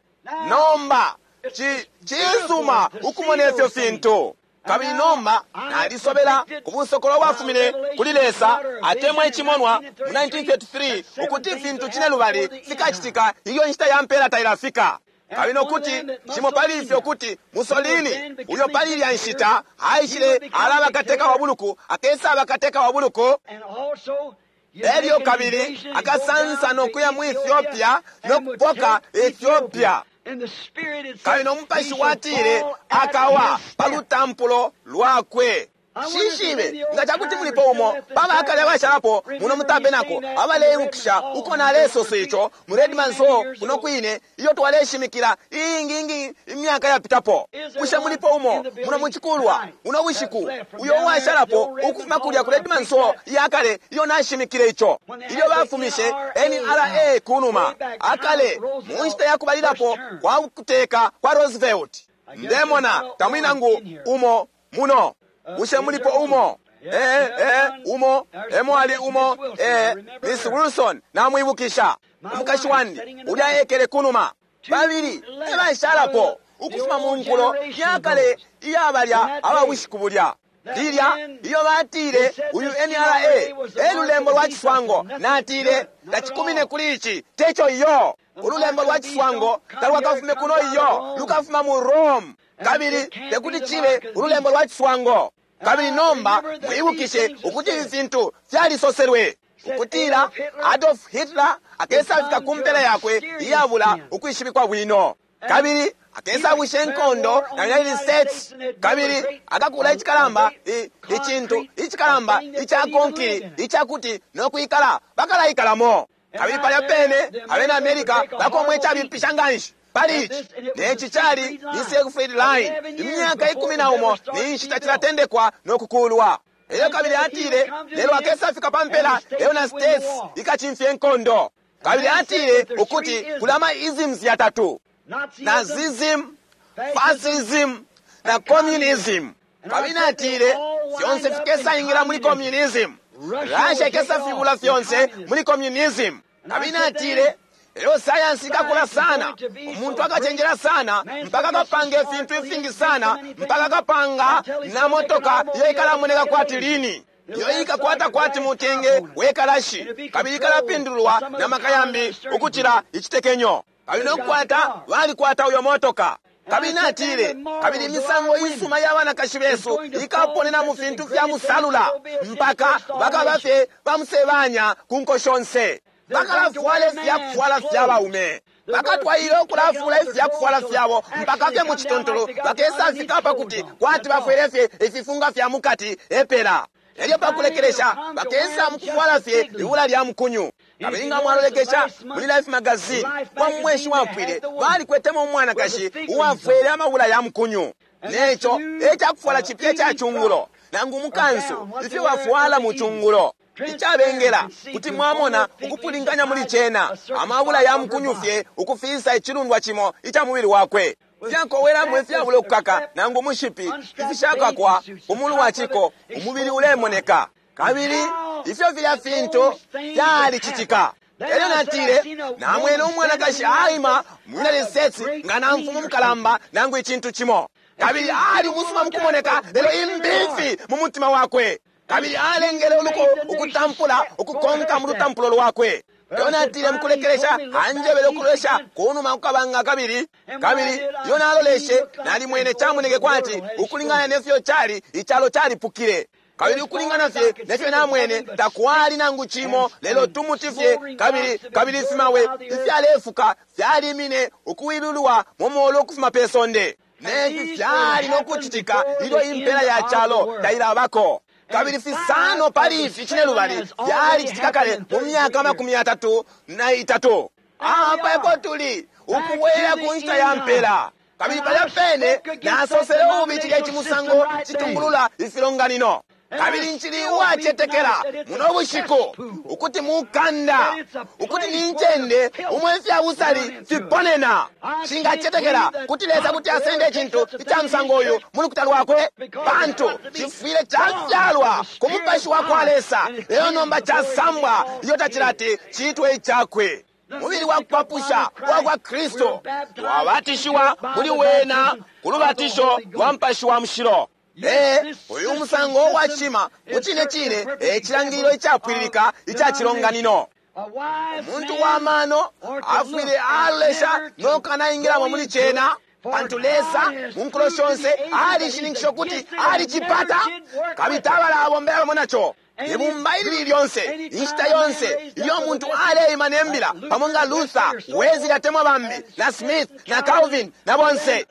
Nomba cisuma ukumona ifyo fintu. Kabili nomba nalisobela ku busokolo bwafumine kuli Lesa atemwa icimonwa mu 1933 ukuti ifintu cine lubali fikacitika ilyo inshita ya mpela tailafika. Kabili nokuti cimo pali ifyo kuti Mussolini uyo pali ilya nshita aishile alaba kateka wa buluku, akesaba kateka wa buluku, elyo kabili akasansa nokuya mu Ethiopia nokupoka Ethiopia. Kabili no mupashi watile akawa pa lutampulo lwakwe. Nshishibe nga ca kuti mulipo umo pa bakale abashalapo muno mu tabenako abaleibukisha uko nalesosa ico mu Redman's Hall kuno kwine iyo twaleshimikila iingi ingi imyaka yapitapo. Bushe mulipo umo muno mucikulwa uno bushiku uyo uwashalapo ukufuma kulya ku Redman's Hall iyakale iyo nashimikile ico? Ilyo bafumishe NRA kunuma akale mu nshita ya kubalilapo kwa kuteka kwa Roosevelt. Ndemona tamuli nangu umo muno. Bushe mulipo umo? Umo emo ali umo. Miss Wilson namwibukisha, umukashi wandi ulya ekele kunuma. Babili ebashalapo ukufuma mu nkulo yakale iyabalya ababushiku bulya lilya iyo batile uyu NRA elulembo lwa ciswango. Natile tacikumine kuli ici, teco iyo. Ululembo lwa ciswango talwakafume kuno iyo, lukafuma mu Rome, kabili tekuti cibe ululembo lwa ciswango. Kabili nomba mwibukishe ukuti ifi fintu fyalisoselwe ukutila Adolf Hitler akesafika ku mpela yakwe iyabula ukwishibikwa bwino, kabili akesabwisha inkondo na United States, kabili akakula icikalamba icintu icikalamba ica konkili icakuti nokwikala bakalaikalamo. Kabili palya pene abena America bakomwe icabipisha nganshi pali ici, neci cali ni Siegfried Line, imyaka 11 ni nshita cilatendekwa nokukulwa. Elyo kabili atile lelo akesafika pa mpela lelo na States ikacimfya inkondo. Kabili atile ukuti kuli ama isms yatatu: Nazism, Fascism na Communism. Kabili atile fyonse fikesaingila muli communism. Russia ikesafibula fyonse muli communism. Kabili atile lelo sayansi ikakula sana, umuntu akacenjela sana mpaka akapanga ifintu ifingi sana mpaka akapanga na motoka iyo ikalamoneka kwati lini, iyo ikakwata kwati mutenge wekalashi, kabili ikalapindulwa na maka yambi ukucila icitekenyo. Kabili nokukwata balikwata uyo motoka. Kabili natile kabili imisango isuma ya banakashi besu ikaponena mu fintu fya musalula mpaka bakaba fye bamusebanya ku nko shonse. Bakalafwala ifyakufwala fya baume, bakatwaile ukulafula ifyakufwala fyabo mpaka fye mu cituntulu bakesafika pakuti kwati bafwele fye ififunga fya mukati epela. Elyo pakulekelesha bakesa mukufwala fye ibula lya mukunyu. Kabili nga mwalolekesha muli Life magazine kwa mweshi wapwile, balikwetemo umwanakashi uwafwele amabula ya mukunyu, neco ecakufwala cipya ica cungulo nangu mukansu ifyo bafwala mu cungulo. Icabengela kuti mwamona ukupulinganya muli cena amabula ya mukunyu fye ukufisa icilundwa cimo ica mubili wakwe. Fyakowelamo ifyabula ukukaka nangu mushipi ifishakakwa umulu wa ciko, umubili ulemoneka. Kabili ifyo filya fintu fyalicitika. Elyo natile namwene umwanakashi aima mu United States nga na mfumu mukalamba nangu icintu cimo, kabili ali umusuma mukumoneka lelo imbifi mu mutima wakwe, kabili alengele uluko ukutampula ukukonka mu lutampulo lwakwe. Elyo natile mukulekelesha anjebele ukulolesha kunuma kukabanga kabili kabili iyo naloleshe nalimwene camoneke kwati ukulingana nefyo cali icalo calipukile, kabili ukulingana fye nefyo namwene takwali nangu cimo lelo tumuti fye, kabili kabili ifimawe ifyalefuka fyalimine ukuwilulwa mu molu ukufuma pe sonde. Nefi fyali nokucitika ilyo impela ya calo tailabako. Kabili fisano pali ifi cinelubali fyalicitika kale mu myaka 33. Apa epo tuli ukubwela ku nshita ya mpela. Kabili palya pene nasosele ububi cilya icimusango citungulula ifilonganino. Kabili ncili uwacetekela muno bushiku ukuti mukanda ukuti ni ncende umwe ifya busali fiponena. Shingacetekela kuti Lesa kuti asende icintu ica musango uyu mu lukuta lwakwe, pantu cifwile cafyalwa ku mupashi wa kwa Lesa, lelo nomba casambwa iyo tacilati ciitwe icakwe. Mubili wa kupapusha wa kwa Kristo twabatishiwa muli wena ku lubatisho lwa mupashi wa mushilo. Uyu musango wa cima mucine cine ecilangililo icapwililika ica cilonganino. Umuntu wa mano afwile alolesha nokanaingilamo muli cena, pantu Lesa mu nkulo shonse alishininkisha ukuti alicipata kabili tabala abombela pamo naco. Ibumba ilili lyonse, inshita yonse ilyo umuntu aleima ne mbila pamo nga Luther, Wesley atemwa bambi, na Smith na Calvin na bonse,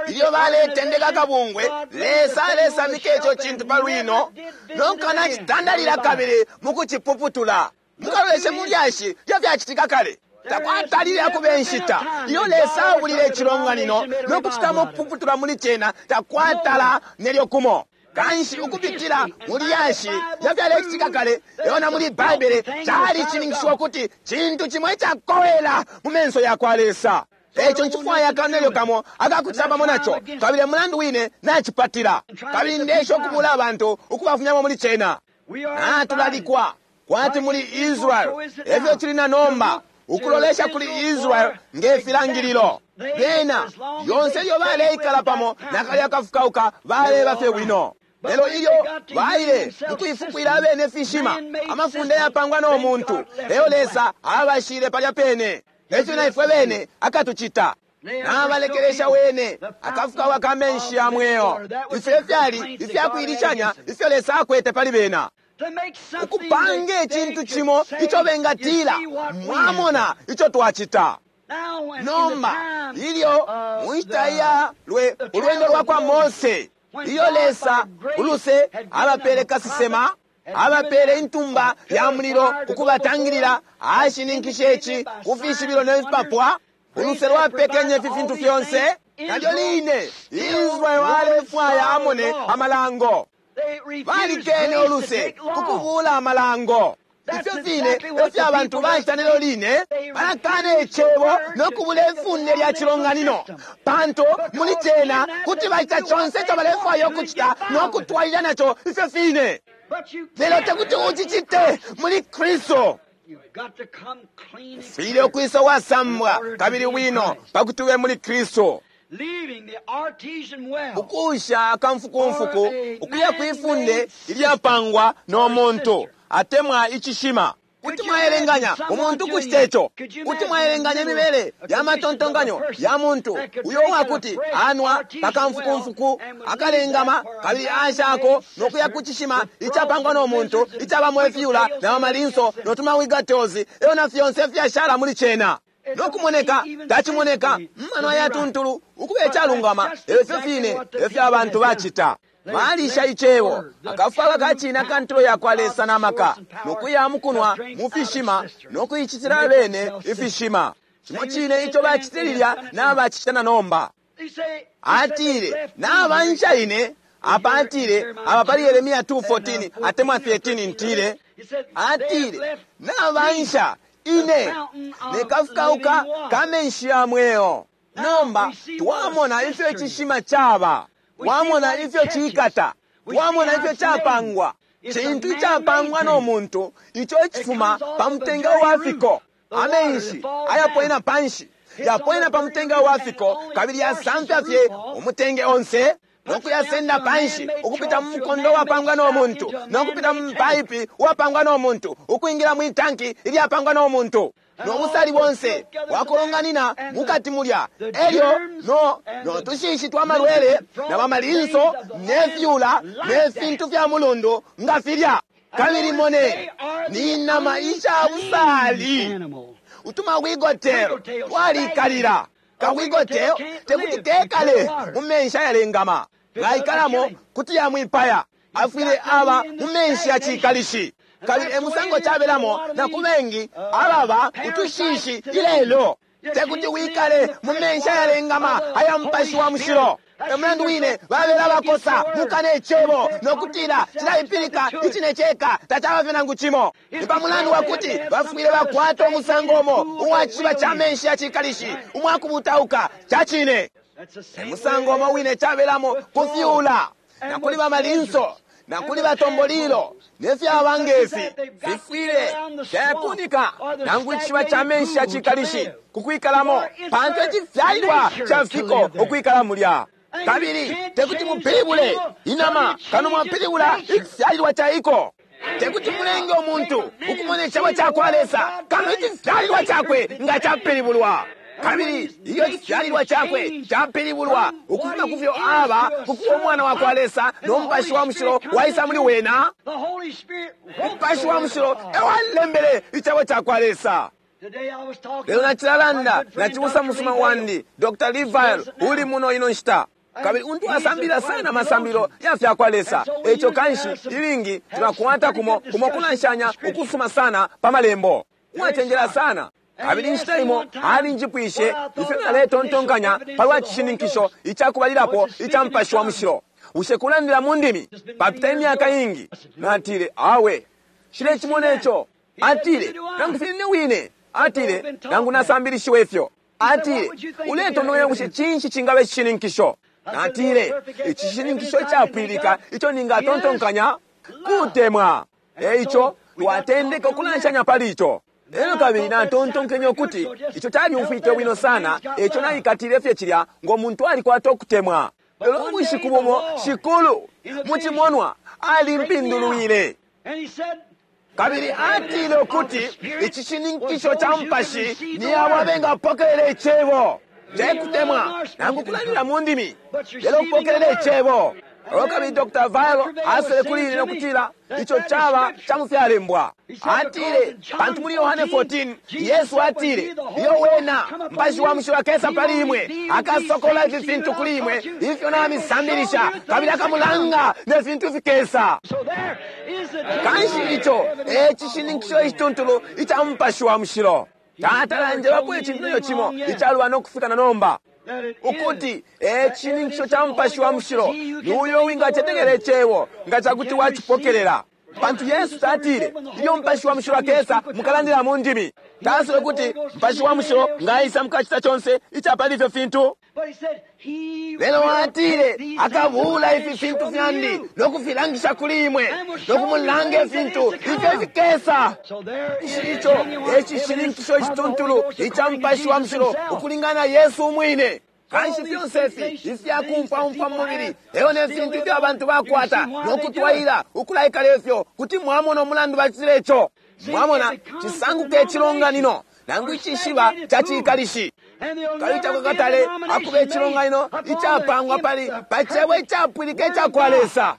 ilyo baletendeka akabungwe, Lesa alesamika ico cintu pa lwino no kukanacitandalila kabili mukucipuputula. Mukaloleshe mu lyashi lyo fyacitika kale. Takwatalile akuba inshita iyo Lesa abulile icilonganino no kucitamo kupuputula muli cena, takwatala nelyo kumo. Kanshi ukupitila mu lyashi lya fyalecitika kale elo na muli Baibele, calicininkishiwa ukuti cintu cimo icakowela mu menso ya kwa Lesa. Eco ncifwaya aka nelyo kamo akakucita pamo naco, kabili e mulandu wine nacipatila, kabili ndesha ukubula abantu ukubafumyamo muli cena. Natulalikwa kwati muli Israel, efyo cili na nomba, ukulolesha kuli Israel nge filangililo. Bena lyonse ilyo baleikala pamo na kalya kafukauka baleba fye bwino. Lelo ilyo baile mukuifukwila abene fishima, amafunde yapangwa no muntu, lelo Lesa abashile palya pene. Efyo na ifwe bene akatucita. Nabalekelesha wene akafukauka ka menshi ya mweo. Ifyo efyali ifyakuilishanya ifyo Lesa akwete pali bena. Ukupanga icintu cimo ico bengatila, mwamona ico twacita. Nomba ilyo mu nshita ya ulwendo lwa kwa Mose, iyo Lesa uluse abapele kasesema, abapele intumba ya mulilo ukubatangilila, ashininkishe ici ku fishibilo ne fipapwa. Uluse lwapekenye ifi fintu fyonse. Nalyo line Israel alefwaya amone amalango. Balikene uluse kukubula amalango. Ifyo fine efyo abantu bacita nelyo line, balakana icebo no kubula ifunde lya cilonganino, pantu muli cena kuti bacita conse ico balefwaya ukucita no kutwalilila naco ifyo fine. Lelo tekuti ucicite muli Kristu. Ufwile ukwisa uwasambwa kabili bwino pakuti ube muli Kristu. Ukusha akamfukumfuku ukuya kwifunde ilyapangwa no muntu atemwa icishima. Kuti mwaelenganya umuntu kucita ico? Kuti mwaelenganya imibele ya matontonkanyo ya muntu uyo uwakuti anwa pakamfukumfuku akalengama kabili ashako no kuya ku cishima icapangwa no muntu icabamo ifyula na mamalinso no tumawigatozi elo na fyonse ifyashala muli cena? No kumoneka tacimoneka mumano ayatuntulu ukuba icalungama, lelo ifyo fine efyo abantu bacita. Balisha icebo akafwaka kacine akantulo ya kwa Lesa na maka, no kuya mukunwa mu fishima no kuicitila abene ifishima. Cimo cine ico bacitile lilya nabacita na nomba. Atile, nabansha ine. Apa atile, apa pali Yeremia 2:14 atemwa 13 ntile, atile, nabansha ine ne kafukauka ka menshi ya mweo. Nomba twamona ifyo icishima caba, twamona ifyo cikata, twamona ifyo capangwa. Cintu icapangwa no muntu ico icifuma pa mutenge wa fiko. Amenshi ayaponena panshi yaponena pa mutenge wa fiko kabili yasamfya fye umutenge onse no kuyasenda panshi ukupita mu mukondo wapangwa no muntu no kupita mu paipi wapangwa no muntu ukwingila mwi tanki ilyapangwa no muntu no busali bonse wakolonganina mukati mulya, elyo no tushishi twa malwele na bamalinso ne fyula ne fintu fya mulundu nga filya. Kabili mone ni nama isha busali utumawigotelo twalikalila. Kawigotelo tekuti kekale mu menshi ayalengama, ngaikalamo kuti yamwipaya. Afwile aba mu menshi ya cikalishi. Kabili emusango cabelamo na kubengi ababa utushishi ilelo. Tekuti wikale mu menshi ayalengama aya mupashi wa mushilo. Emulandu wine babela bakosa mukane icebo nokutila cilaipilika icine ceka tacaba fye nangu cimo. Ni pa mulandu wakuti bafwile bakwata umusango umo uwa ciba ca menshi ya cikalishi umwakubutauka ca cine. Emusango umo wine cabelamo kufyula na kuli bamalinso na kuli batombolilo ne fyaba ngefi fifwile fyakunika nangu icishiba ca menshi ya cikalishi kukwikalamo, pantu icifyalilwa ca fiko ukwikala mulya. Kabili tekuti mupilibule inama kano mwapilibula icifyalilwa ca iko. Tekuti mulenge umuntu ukumona icebo ca kwa Lesa kano icifyalilwa cakwe nga capilibulwa. Kabili iyo icifyalilwa cakwe capilibulwa ukufuma kufyo aba kukuba umwana wa kwa Lesa, no Mupashi wa Mushilo waisa muli wena. Umupashi wa Mushilo ewalembele icebo ca kwa Lesa. Lelo nacilalanda na cibusa musuma wandi Dr. Lee Vayle, uli muno ino nshita, kabili untu asambilila sana amasambililo ya fya kwa Lesa. Eco kanshi ilingi tulakwata kumo kumo kulanshanya ukusuma sana pa malembo, uwacenjela sana. Kabili inshita imo alinjipwishe ifyo naletontonkanya palwa cishininkisho icakubalilapo ica Mupashi wa Mushilo, bushe kulandila mu ndimi? Papita imyaka ingi. Natile, awe, nshilecimona ico. Atile, nangu fye nine wine. Atile, nangu nasambilishiwe ifyo. Atile, uletontonkanya bushe cinshi cingaba icishininkisho? Natile, icishininkisho icapwilika ico ningatontonkanya kutemwa. E ico twatendeka ukulanshanya pali ico. Elyo kabili natontonkenye ukuti ico calyumfwike bwino sana, eco naikatile fye cilya ngo muntu alikwata ukutemwa. Lelo ubushiku bumo Shikulu mu cimonwa alimpindulwile. Kabili atile ukuti icishininkisho ca Mupashi ni abo abengapokelela icebo, te kutemwa nangu kulandila mu ndimi, lelo kupokelela icebo. Elyo kabili Dr. Vayle asele kuli ine no kutila ico caba ca mu fyalembwa. Atile, pantu muli Yohane 14 Yesu atile, iyo wena Mupashi wa Mushilo akesa pali imwe, akasokola ifi fintu kuli imwe ifyo namisambilisha, kabili akamulanga ne fintu fikesa. Kanshi ico e cishininkisho icituntulu ica Mupashi wa Mushilo. Tata njebapo icintu nelyo cimo icalubana no kufika na nomba, ukuti e cishininkisho ca Mupashi wa Mushilo ni uyo wingacetekela icebo nga cakuti wacipokelela. Pantu Yesu tatile, ilyo Mupashi wa Mushilo akesa mukalandila mu ndimi. Tasile kuti Mupashi wa Mushilo ngaisa mukacita conse ica pali ifyo fintu. Lelo atile, akabuula ifi fintu fyandi no kufilangisha kuli imwe, no kumulanga ifintu ifyo ifikesa. Ico e cishininkisho icituntulu ica Mupashi wa Mushilo ukulingana na Yesu umwine. Kanshi fyonse ifi ifyakumfwaumfwa mu mubili elyo ne fintu ifyo abantu bakwata no kutwaila ukulaikala ifyo, kuti mwamona umulandu bacitile ico. Mwamona, cisanguka icilonganino nangu icishiba ca cikalishi. Kabili takwakatale akuba icilonganino icapangwa pali pa cebo icapwilika ica kwa Lesa.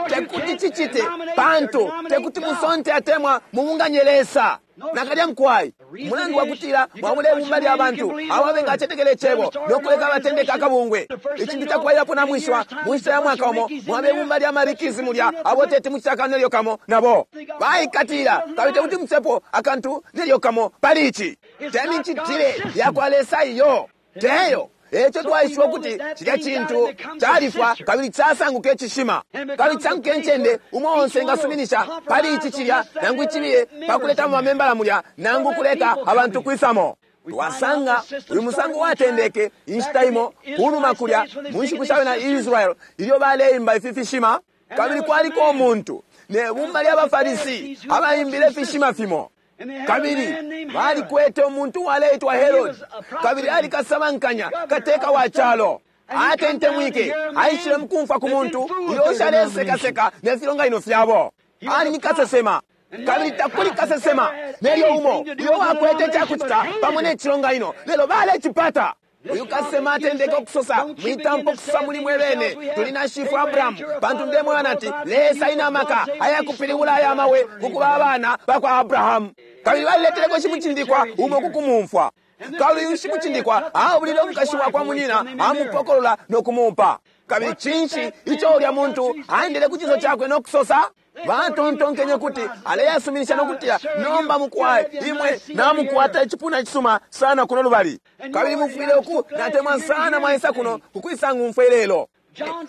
Tekuti cicite, pantu tekuti musonte atemwa mubunganye Lesa. Nakalya mukwai, umulandu wa kutila mwabula ibumba lya bantu abo abengacetekela icebo no kuleka batendeka akabungwe. Icintu cakubalilapo namwishiwa, mu nshita ya mwaka umo mwaba ibumba lya marikizi mulya abo teti mucite akantu nelyo kamo nabo baikatila, kabili tekuti mucepo akantu nelyo kamo pali ici. Te micitile ya kwa Lesa iyo, teyo. Eco twaishiba ukuti cilya cintu califwa kabili casanguka icishima, kabili cisanguka incende umo onse engasuminisha pali ici cilya nangu icibiye pa kuletamo bamembala mulya nangu kuleka abantu kwisamo. Twasanga uyu musango watendeke inshita imo kunuma kulya mu nshiku sha bena Israel ilyo baleimba ifi fishima, kabili kwaliko umuntu ne bumba lya baFarisi abaimbile ifishima fimo. Kabili balikwete umuntu uwaleitwa Herod, kabili alikasabankanya kateka wa calo. Atentemwike, aishile mukumfwa ku muntu uyo ushalesekaseka ne filonganino fyabo. Ali ni kasesema, kabili takuli kasesema nelyo umo uyo wakwete icakucita pamo ne cilonganino, lelo balecipata. Uyu kasesema atendeke ukusosa, mwitampa ukusosa muli mwe bene, tuli na shifwe Abrahamu, pantu ndemweba nati Lesa ina amaka ayakupilibula aya mabwe kukuba abana bakwa Abrahamu. Kabili balileteleko shimucindikwa umo kukumumfwa. Kabili uyu shimucindikwa abulile umukashi wakwa munyina, amupokolola no kumupa. Kabili cinshi ico ulya muntu aendele ku ciso cakwe no kusosa? Batontonkenye kuti aleyasuminisha no kutila, nomba mukwai imwe namukwata icipuna icisuma sana kuno lubali, kabili mufwile uku natemwa sana mwaisa kuno kukwisa ngumfwe lelo.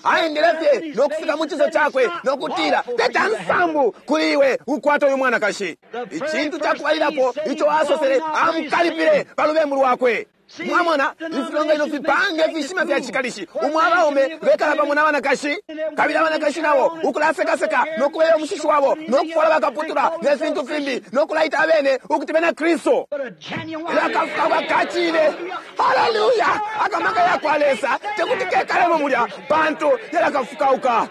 Aendele fye no kufika mu ciso cakwe no kutila, teta nsambu kuli iwe ukwata uyu mwanakashi. Icintu cakubalilapo ico asosele, amukalipile pa lubembu lwakwe. Mwamona, ifilonganino fipange ifishima fya cikalishi umo abaume bekala pamo na banakashi, kabili abanakashi nabo ukulasekaseka no kubeya umushishi wabo no kufwala bakaputula ne fintu fimbi no kulaita abene ukuti bena Kristu. Lakafuka kacine, haleluya! Akamaka ya kwa Lesa tekuti kekalemo mulya, pantu yalakafukauka.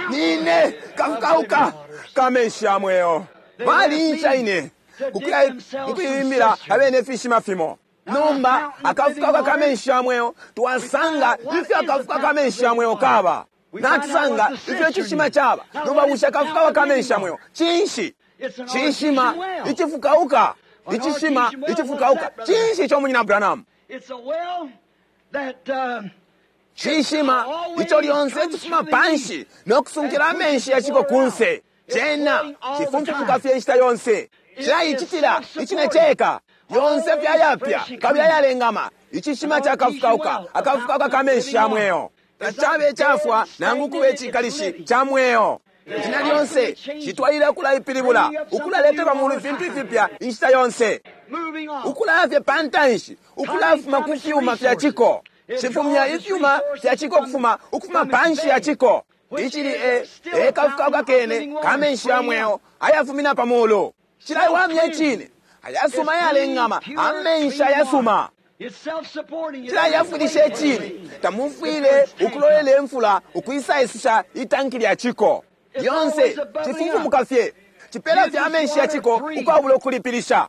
Nine kafukauka kamenshi ya mweo. Balinca ine. Ukuya mukuibimbila abene ifishima fimo. Nomba akafukauka ka menshi ya mweo, twasanga ifyo akafuka ka menshi ya mweo kaba. Natusanga ifyo icishima caba. Nomba bushe akafukauka ka menshi ya mweo cinshi? Cishima icifukauka. Icishima icifukauka. Cinshi ico, Munyina Branham? Cishima ico lyonse cifuma panshi no kusunkila amenshi yaciko kunse. Cena cifumfumuka fye inshita yonse. Cilaicitila icine ceka. Yonse fye ayapya kabili ayalengama. Icishima cakafukauka, akafukauka ka menshi ya mweo. Tacabe icafwa nangu kube icikalishi ca mweo. Ishina lyonse citwalilila ukulaipilibula, ukulaleta pa mulu ifintu ifipya inshita yonse, ukulaya fye pa ntanshi, ukulafuma ku fyuma fya ciko. Cifumya ifyuma fya ciko ukufuma ukufuma panshi ya ciko, icili e e kafukauka kene ka menshi ya mweo ayafumina pa mulu. Cilaiwamya icine, ayasuma ayalengama, amenshi ayasuma. Cilayafwilisha icine. Tamufwile ukulolela imfula ukwisaisusha itanki lya ciko. Lyonse cifumfumuka fye, cipela fye amenshi ya ciko ukwabula ukulipilisha.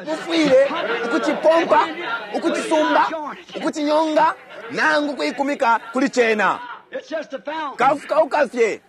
Mufwile ukucipompa, ukucisumba, ukucinyonga, nangu kuikumika kuli cena. Kafukauka fye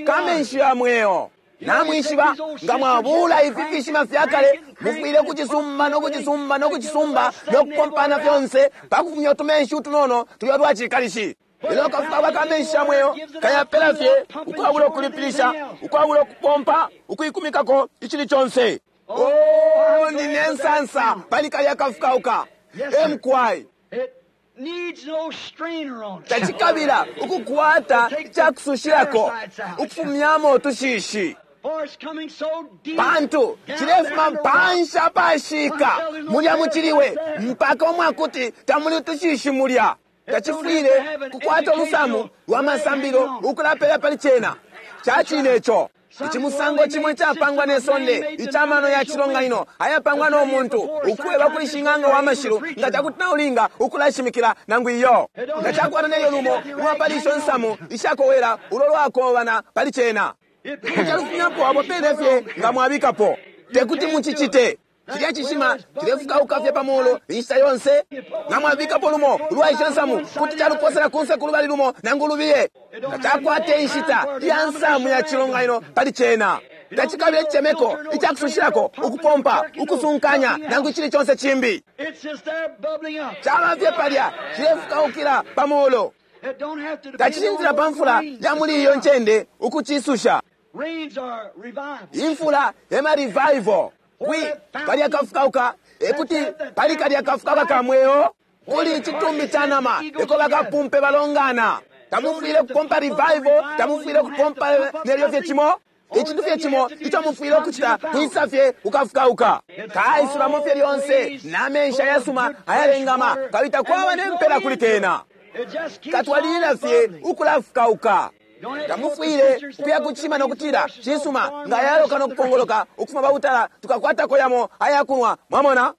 kamenshi ya mweo. Namwishiba, nga mwabula ifi fishima fya kale, mufwile ukucisumba no kucisumba no kucisumba no kupompana fyonse pa kufumya utumenshi utunono tulya twacikalishi. Lelo kafukauka ka menshi ya mweo kayapela fye ukwabula ukulipilisha, ukwabula ukupompa, ukuikumikako icili conse. Oh, ndine nsansa pali kalya kafukauka. Emkwai. Tacikabila ukukwata icakusushilako ukufumyamo utushishi, pantu cilefuma panshi apashika mulya muciliwe mpaka umwakuti tamuli utushishi mulya. Tacifwile kukwata ulusamu lwa masambilo ukulapela pali cena. Cacine ico. Icimusango cimo icapangwa ne sonde icamano ya cilonganino ayapangwa no muntu ukweba kuli shing'anga wa mashilu nga cakuti naulinga ukulashimikila nangu iyo. Nga cakwata nelyo lumo ulwa isho nsamu ishakowela ulo lwakobana pali cena, mucalufumyapo apo pene fye nga mwabikapo. Tekuti mucicite. Cilya cishima cilefukauka fye pa mulu inshita yonse. Nga mwabikapo lumo ulwa isho nsamu, kuti caluposela kunse kulubali lumo nangu lubiye. Tacakwate inshita iya nsamu ya cilonganino pali cena. Tacikabila icemeko icakusushilako, ukupompa, ukusunkanya, nangu icili conse cimbi. Caba fye palya cilefukaukila pa mulu. Tacishintilila pa mfula ya muli iyo ncende ukucisusha. Imfula ema revival. Kwi kalya kafukauka, ekuti pali kalya kafukauka ka mweo kuli icitumbi ca nama eko bakapumpe balongana. Tamufwile kupompa revival, tamufwile kupompa nelyo fye cimo. Icintu fye cimo ico mufwile ukucita kwisa fye ukafukauka. Kaisulamo fye lyonse na menshi ayasuma ayalengama, kabili takwaba ne mpela kuli kena. Katwalilila fye ukulafukauka. Tamufwile ukuya kucishima no kutila, cisuma, nga yaloka no kupongoloka ukufuma pa butala, tukakwatako yamo ayakunwa. Mwamona?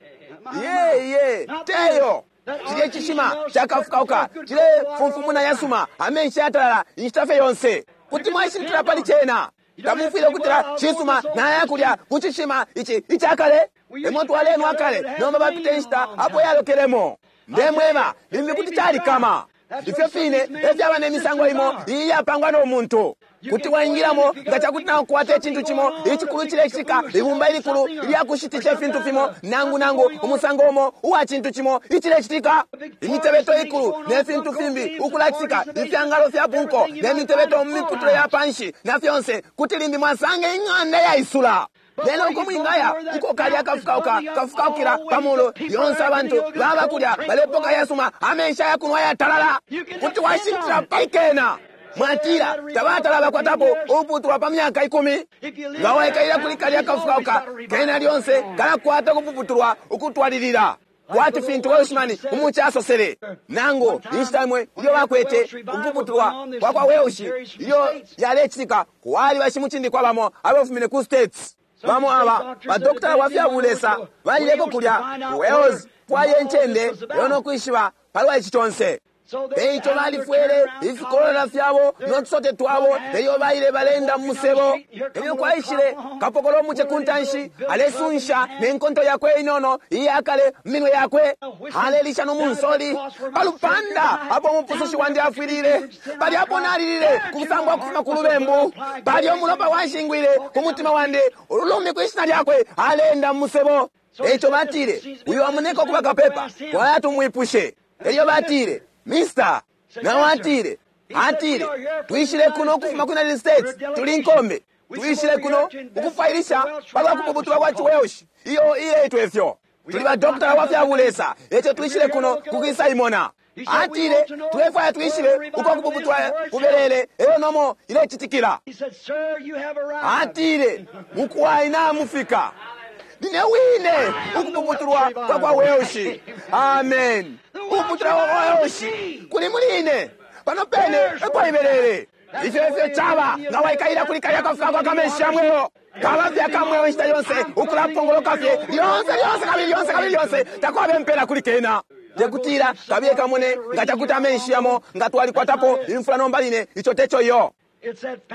Ye ye teyo. Cilye cishima cakafukauka cilefumfumuna yasuma amenshi yatalala inshita fye yonse. Kuti mwashintila pali cena. Tamufwile ukutila, cisuma, nayakulya kucishima ici icakale emo twalenwa kale, nomba bapita inshita apo yalokelemo. Ndemweba, limbi kuti calikama. Ifyo fine efyaba ne misango imo iyi yapangwa no muntu. Kuti waingilamo nga cakuti nakukwata icintu cimo icikulu cilecitika, ibumba ilikulu ilyakushitisha ifintu fimo, nangu nangu umusango umo uwa cintu cimo icilecitika, imitebeto ikulu ne fintu fimbi ukulacitika, ifyangalo fya bunko ne mitebeto mu miputule ya panshi na fyonse, kuti limbi mwasanga ing'anda yaisula. Lelo uko mwingaya uko kalya kafukauka kafukaukila pa mulu lyonse, abantu baba kulya balepoka yasuma amenshi ayakunwa yatalala. Kuti washintila paikena. Mwatila tabatala bakwatapo uputulwa pa myaka 10. Nga waikalila kuli kalya kafukauka kena lyonse kalakwata ukupuputulwa ukutwalilila, kwati fintu Welshman umuchi asosele nangu inshita imwe ilyo bakwete ukupuputulwa kwa kwa Welsh ilyo yalecitika. Kwali bashimucindikwa bamo abafumine ku States. Bamo aba badokitala wa fya bulesa balileko kulya ku Wales kwaye incende lelo no kwishiba palwa ici conse. Eico balifwele ifikolola fyabo no tusote twabo, elyo baile balenda mu musebo. Elyo kwaishile kapokola umuce ku ntanshi, alesunsha ne nkonto yakwe inono iyakale mu minwe yakwe, alelisha no munsoli pa lupanda apo umupusushi wandi afwilile. Palya apo nalilile ku kusambwa kufuma ku lubembu, palya umulopa washingwile ku mutima wandi, ululumbi kwi shina lyakwe, aleenda mu musebo. Eico batile, uyu amoneka ukuba kapepa, twaya tumwipushe. Elyo batile, Mister, nao atile, atile, twishile kuno ukufuma ku United States, tuli nkombe. Twishile kuno ukufwailisha palwa kupuputulwa kwa chiWelsh, iyo iletwa ifyo. Tuli ba dokotala wa fya bulesa, eco twishile kuno kukwisa imona. Atile, tulefwaya twishibe uko kupuputulwa kubelele, elyo nomo ilecitikila. Atile, mukwai namufika. Nine wine ukupuputulwa kwa kwa Welsh. Amen. Ukupuputulwa kwa kwa Welsh kuli muli ine pano pene epo ibelele. Ifyo ifyo caba nga waikaila kuli kalya kafuka kwa kamenshi ya mweo, kaba fye akamweo inshita yonse, ukulapongoloka fye lyonse lyonse kabili lyonse kabili lyonse, takwabe mpela kuli kena. Tekutila kabiye kamone nga cakuti amenshi yamo nga twalikwatapo imfula nomba line, ico teco iyo.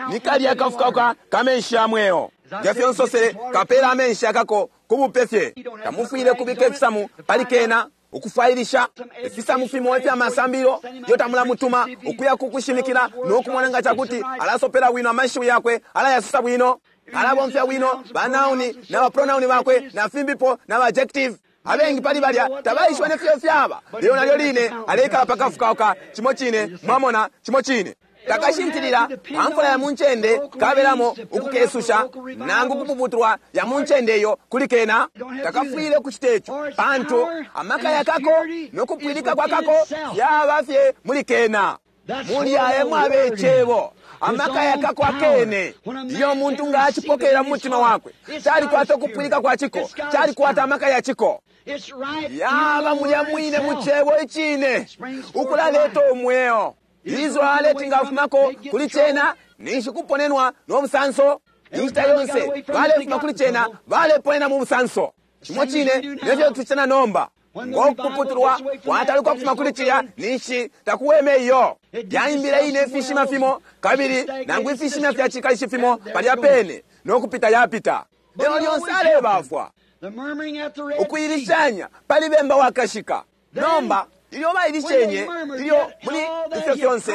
Ni kalya kafuka kamenshi ya mweo. Ngefyo nsosele, kapela amenshi akako kubupe fye. Tamufwile kubika ifisamu pali kena ukufwailisha ifisamu fimo ifya masambilo yo tamulamutuma ukuya kukushimikila no kumona nga cakuti alasopela bwino amashiwi yakwe, alayasusa bwino, alabomfya bwino banauni na bapronauni bakwe na fimbipo na adjective. Abengi pali balya tabaishiba nefyo fyaba, lelo nalyo line aleikala pakafukauka cimo cine, mwamona, cimo cine. Takashintilila pamfula ya muncende kabelamo ukukesusha nangu kupuputulwa ya muncende iyo kuli kena. Takafwile kucita ico, pantu amaka yakako no kupwilika kwakako fyaba fye muli kena. Mulya emwabe icebo, amaka yakako akene. Iyo muntu nga acipokela mu mutima wakwe, calikwata ukupwilika kwa ciko, calikwata amaka ya ciko. Yaba mulya mwine mu cebo icine, ukulaleta umweo. Israeli tingafumako kuli cena ninshi kuponenwa no busanso. Inshita yonse balefuma kuli cena baleponena mu busanso. Cimo cine nefyo tucita nomba. Ngo kupuputulwa kwataluka kufuma kuli cilya ninshi takuweme iyo. Yaimbile ine ifishima fimo kabili nangu ifishima fya cikalishi fimo palya pene no kupita yapita. Lelo lyonse alebafwa ukuilishanya pali bemba wakashika. Nomba ilyo bailishenye, ilyo muli ifyo fyonse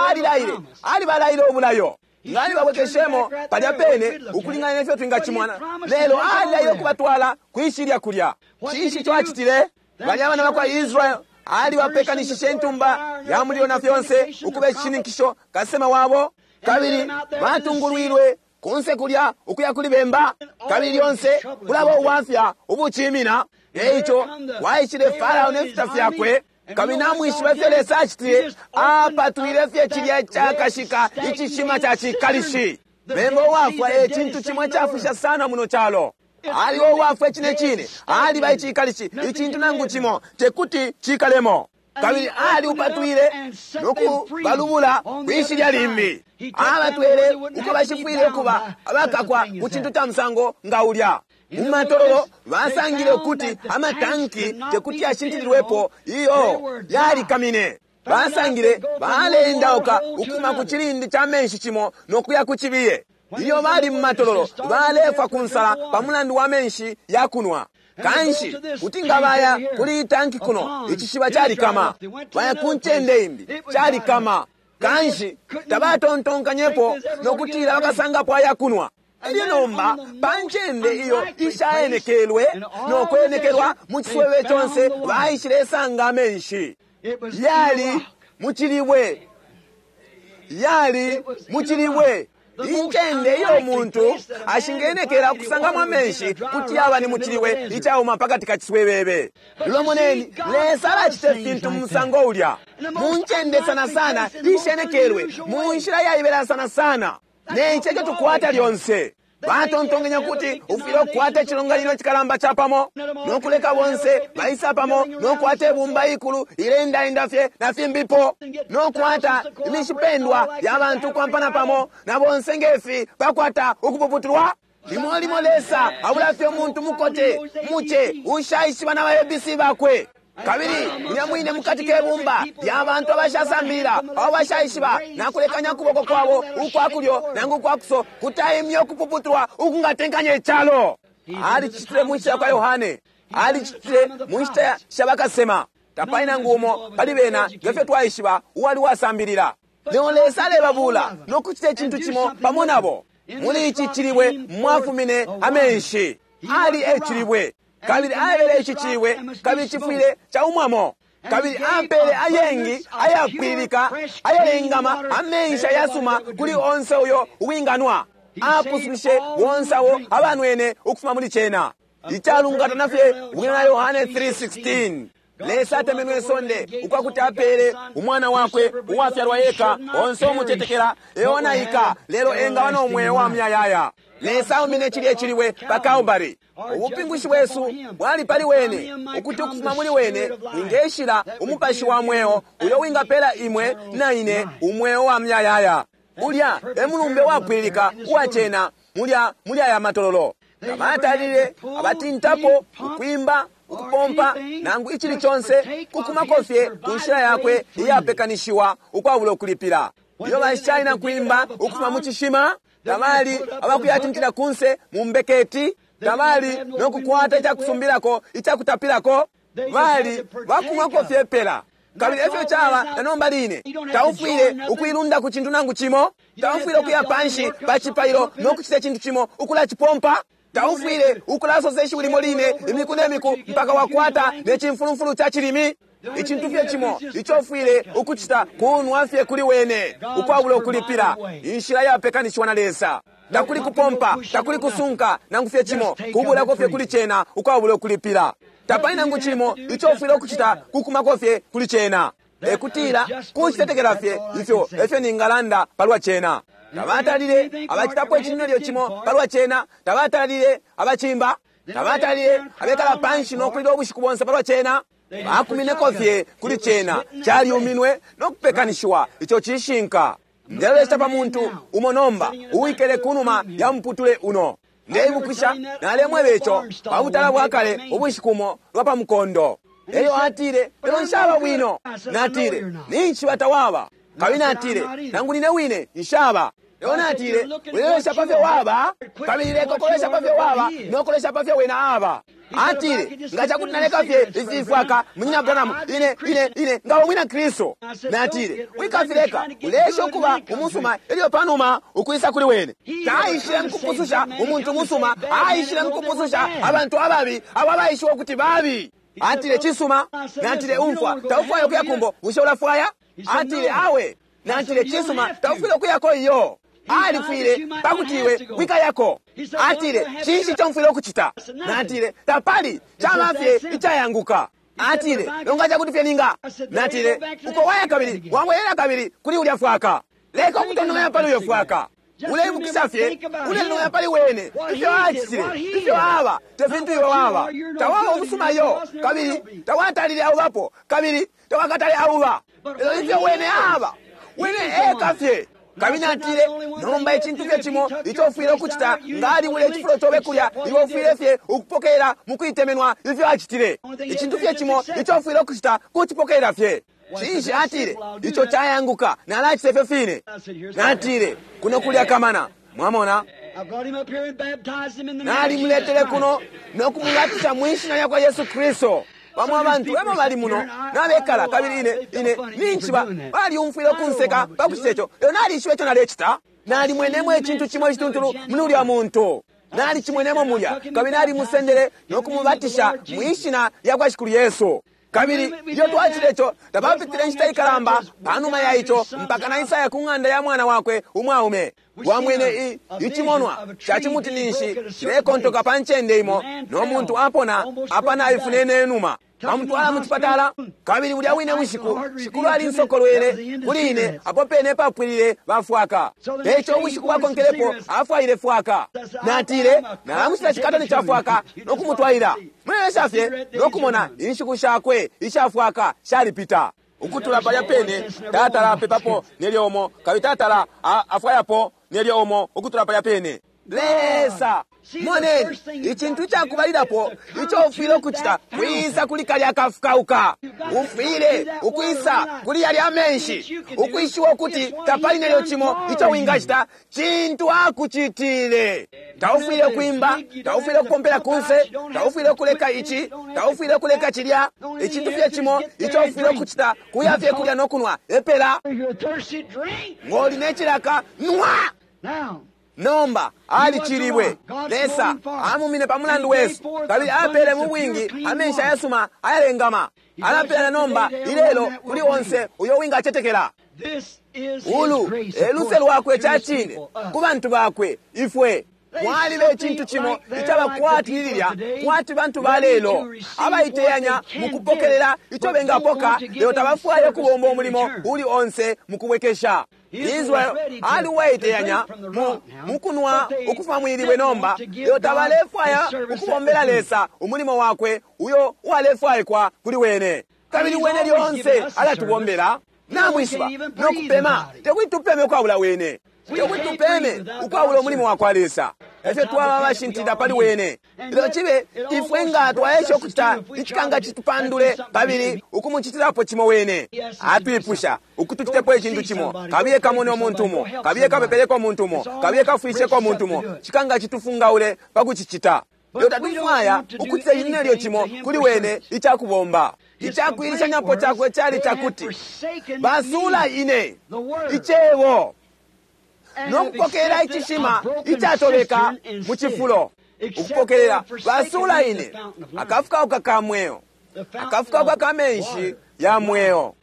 alilaile, alibalaile obulayo. Ngali babwekeshemo palya pene ukulingana nefyo twingacimwana, lelo alilaile ukubatwala kwishilya kulya. Cinshi ico acitile? Balya abana bakwa Israel alibapekanishishe intumba ya mulilo na fyonse ukuba icishininkisho kasema wabo, kabili batungulwilwe kunse kulya ukuya kuli bemba, kabili lyonse kulaba ubwafya ubucimina. Eico waishile Farao nefita fyakwe, kabili namwishiba ifyo Lesa acitile, apatwile fye cilya cakashika icishima ca cikalishi. Bemba uwafwa e cintu cimo icafusha sana muno calo. Aliwo uwafwa icine cine, aliba icikalishi, icintu nangu cimo tekuti cikalemo. Kabili aliupatwile nokubalubula kwishilya limbi, abatwele uko bashifwile ukuba abakakwa ku cintu ca musango nga ulya. Mu matololo basangile ukuti amatanki tekuti yashintililwepo, iyo yalikamine. Basangile baleendauka ukuma ku cilindi ca menshi cimo nokuya ku cibiye. Ilyo bali mu matololo balefwa ku nsala pa mulandu wa menshi ya kunwa. Kanshi kuti nga baya kuli itanki kuno, icishiba calikama. Baya ku ncende imbi, calikama. Kanshi tabatontonkanyepo nokutila bakasangapo ayakunwa. Elyo nomba pa ncende iyo ishaenekelwe nokwenekelwa mu ciswebe conse, baishilesanga amenshi. Yali mu cilibwe, yali mu cilibwe. Incende iyo umuntu ashingenekela kusangamo amenshi kuti yaba ni mu cilibwe icauma pakati ka ciswebebe. Lelo moneni, Lesa alacita ifintu mu musango ulya, mu ncende sana sana ishenekelwe, mu nshila yaibela sana sana. Ne ico eco tukwata lyonse. Batontonkanya kuti ufwile ukukwata icilonganino icikalamba capamo nokuleka bonse baisa pamo nokukwata ibumba ikulu ilendaenda fye na fimbipo, nokukwata imishipendwa ya bantu ukwampana pamo na bonse ngefi bakwata ukupuputulwa. Limo limo Lesa abula fye umuntu mukote muce ushaishiba na ba ABC bakwe. Kabili mulya mwine mukati ke bumba lya bantu abashasambilila, abo bashaishiba nakulekanya ukuboko kwabo ukwa kulyo nangu ukwa kuso, kutaimya ukupuputulwa ukungatenkanya icalo. Alicitile mu nshita yakwa Yohane, alicitile mu nshita sha bakasema. Tapali nangu umo pali bena, ngefyo twaishiba, uwali uwasambilila. Lelo Lesa alebabula no kucita icintu cimo pamo nabo. Muli ici cilibwe mwafumine amenshi. Ali e cilibwe, kabili aebele ici cilibwe, kabili cifwile caumwamo. Kabili apele ayengi ayapwililika ayalengama amenshi ayasuma kuli onse uyo uwinganwa. Apusushe bonse abo abanwene ukufuma muli cena. Icalungatana fye bwino na Yohane 3:16. Lesa atemenwe isonde ukwakuti apele umwana wakwe uwafyalwa eka, onse umutetekela eonaika, lelo engaba no mweo wa muyayaya. Lesa aumine cilye cilibwe pa Kalbari. Ubupingushi bwesu bwali pali wene, ukuti ukufuma muli wene mwingeshila umupashi wa mweo uyo wingapela imwe na ine umweo wa muyayaya. Ulya e mulumbe wapwililika uwa cena mulya muli aya matololo. Tabatalile abatintapo ukwimba, ukupompa, nangu icili conse, kukumako fye ku nshila yakwe iyapekanishiwa ukwabula ukulipila. Ilyo bashali na kwimba ukufuma mu cishima, tabali abakuyatintila kunse mu mbeketi, tabali no kukwata icakusumbilako icakutapilako, bali bakumwako fye pela. Kabili efyo caba na nomba line. Taufwile ukuilunda ku cintu nangu cimo, taufwile ukuya panshi pa cipailo no kucita icintu cimo ukulacipompa. Taufwile ukulasosa ishiwi limo line imiku ne miku mpaka wakwata ne cimfulumfulu ca cilimi. Icintu fye cimo ico ufwile ukucita kunwa fye kuli wene ukwabula ukulipila, inshila yapekanishiwa na Lesa. Takuli kupompa, takuli kusunka nangu fye cimo, kubulako fye kuli cena ukwabula ukulipila. Tapali nangu cimo ico ufwile ukucita kukumako fye kuli cena. E kutila kucitetekela fye ifyo efyo ningalanda palwa cena. Tabatalile abacitapo icintu nelyo cimo palwa cena, tabatalile abacimba, tabatalile abekala panshi no kulila ubushiku bonse palwa cena. Bakumineko fye kuli cena, calyuminwe no kupekanishiwa. Ico cishinka. Ndelolesha pa muntu umo nomba uwikele kunuma ya muputule uno. Ndeibukisha nalemweba ico pa butala bwa kale ubushiku umo lwa pa mukondo. Elyo atile, lelo nshaba bwino. Natile, ninshi tawaba. Kabili natile, nangu nine wine nshaba. Lelo natile, ulelolesha pa fyo waba, kabili leka ukulolesha pa fyo waba no kulolesha pa fyo wena aba. Atile, nga cakuti naleka fye ifi fwaka, munyina Branham, ine, ine, ine ngaba umwina Kristu. Natile, wikafileka, ulesha ukuba umusuma elyo panuma ukwisa kuli wene. Taishile mukupususha umuntu musuma, aishile mukupususha abantu ababi, abo abaishiwa ukuti babi. Atile, cisuma. Natile, umfwa, taufwaya ukuya kumbo, bushe ulafwaya? Atile, awe. Natile, cisuma, taufwile ukuyako iyo. Alifwile pakuti iwe wikayako. Atile, cinshi ico mfwile ukucita? Natile, tapali, caba fye icayanguka. Atile, longa cakuti fye ninga. Natile, uko waya kabili wabwelela kabili kuli ulya fwaka. Leka ukutontomanya pali uyo fwaka. Uleibukisha fye, uletontomanya pali wene, ifyo acitile, ifyo aba, te fintu iwe waba. Tawaba umusuma iyo, kabili tawatalile aubapo, kabili tawakatale auba. Lelo ifyo wene aba, wene eka fye. Kabili natile, nomba icintu fye cimo ico ufwile ukucita, nga aliwile icifulo cobe kulya, iwe ufwile fye ukupokelela mukuitemenwa ifyo acitile. Icintu fye cimo ico ufwile ukucita kucipokelela fye. Cinshi atile, ico cayanguka, nalacita ifyo fine. Natile, kuno kulya kamana. Mwamona? Nalimuletele kuno no kumubatisha mwi shina lyakwa Yesu Kristu. Bamo abantu emo bali muno nabekala, kabili ine, ine ninshi balyumfwile ukunseka pa kucita ico, lelo nalishiba ico nalecita. Nalimwenemo icintu cimo icituntulu muli ulya muntu. Nalicimwenemo mulya, kabili nalimusendele no kumubatisha mwi shina lyakwa Shikulu Yesu. Kabili ilyo twacitile ico, tapapitile inshita ikalamba panuma ya ico mpaka naisaya ku ng'anda ya mwana wakwe umwaume. Wamwene icimonwa ca cimuti ninshi cilekontoka pa ncende imo, no muntu apona apa naifunene numa. Bamutwala mu cipatala, kabili bulya wine bushiku Shikulu alinsokolwele kuli ine apo pene papwilile bafwaka. Eico ubushiku bwakonkelepo afwaile fwaka. Natile, nalamushita cikatoni ca fwaka no kumutwaila. Mulelesha fye no kumona inshiku shakwe ishafwaka shalipita. Ukutula palya pene tatala apepapo nelyo umo, kabili tatala afwayapo nelyo umo ukutula palya pene. Lesa. Moneni, icintu icakubalilapo ico ufwile ukucita kwisa kuli kalya kafukauka. Ufwile ukwisa kuli yalya amenshi, ukwishiwa ukuti tapali nelyo cimo ico wingacita, cintu akucitile. Taufwile kwimba, taufwile kupompela kunse, taufwile kuleka ici, taufwile kuleka cilya. Icintu fye cimo ico ufwile ukucita kuya fye kulya no kunwa epela. Ngoli ne cilaka, nwa. Nomba alicilibwe. Lesa amumine pa mulandu wesu, kabili apele mu bwingi amenshi ayasuma ayalengama. Alapela nomba ilelo kuli onse uyo wingacetekela. Ulu e luse lwakwe ca cine ku bantu bakwe ifwe. Mwaliba icintu cimo icaba kwati lilya, kwati bantu ba lelo abaiteyanya mukupokelela ico bengapoka, lelo tabafwaya kubomba umulimo uli onse mukubwekesha. Israel ali uwaiteyanya mukunwa ukufuma mwilibwe nomba, lelo tabalefwaya ukubombela Lesa umulimo wakwe uyo uwalefwaikwa kuli wene. Kabili wene lyonse alatubombela. Namwishiba nokupema, tekuti tupeme ukwabula wene, tekuti tupeme ukwabula umulimo wakwa Lesa. Efyo twaba abashintilila pali wene. Lelo cibe ifwe nga twaesha ukucita icikanga citupandule kabili ukumucitilapo cimo wene. Atwipusha ukutucitepo icintu cimo, kabiye kamone umuntu umo, kabiye kapepeleko umuntu umo, kabiye kafwisheko umuntu umo, cikanga citufungaule pa kucicita. Lelo tatufwaya ukucita icintu nelyo cimo kuli wene icakubomba. Icakuilishanyapo cakwe cali cakuti basula ine icebo nokupokelela icishima icatobeka mu cifulo. Ukupokelela basula ine akafukauka ka mweo, akafukauka ka menshi ya mweo.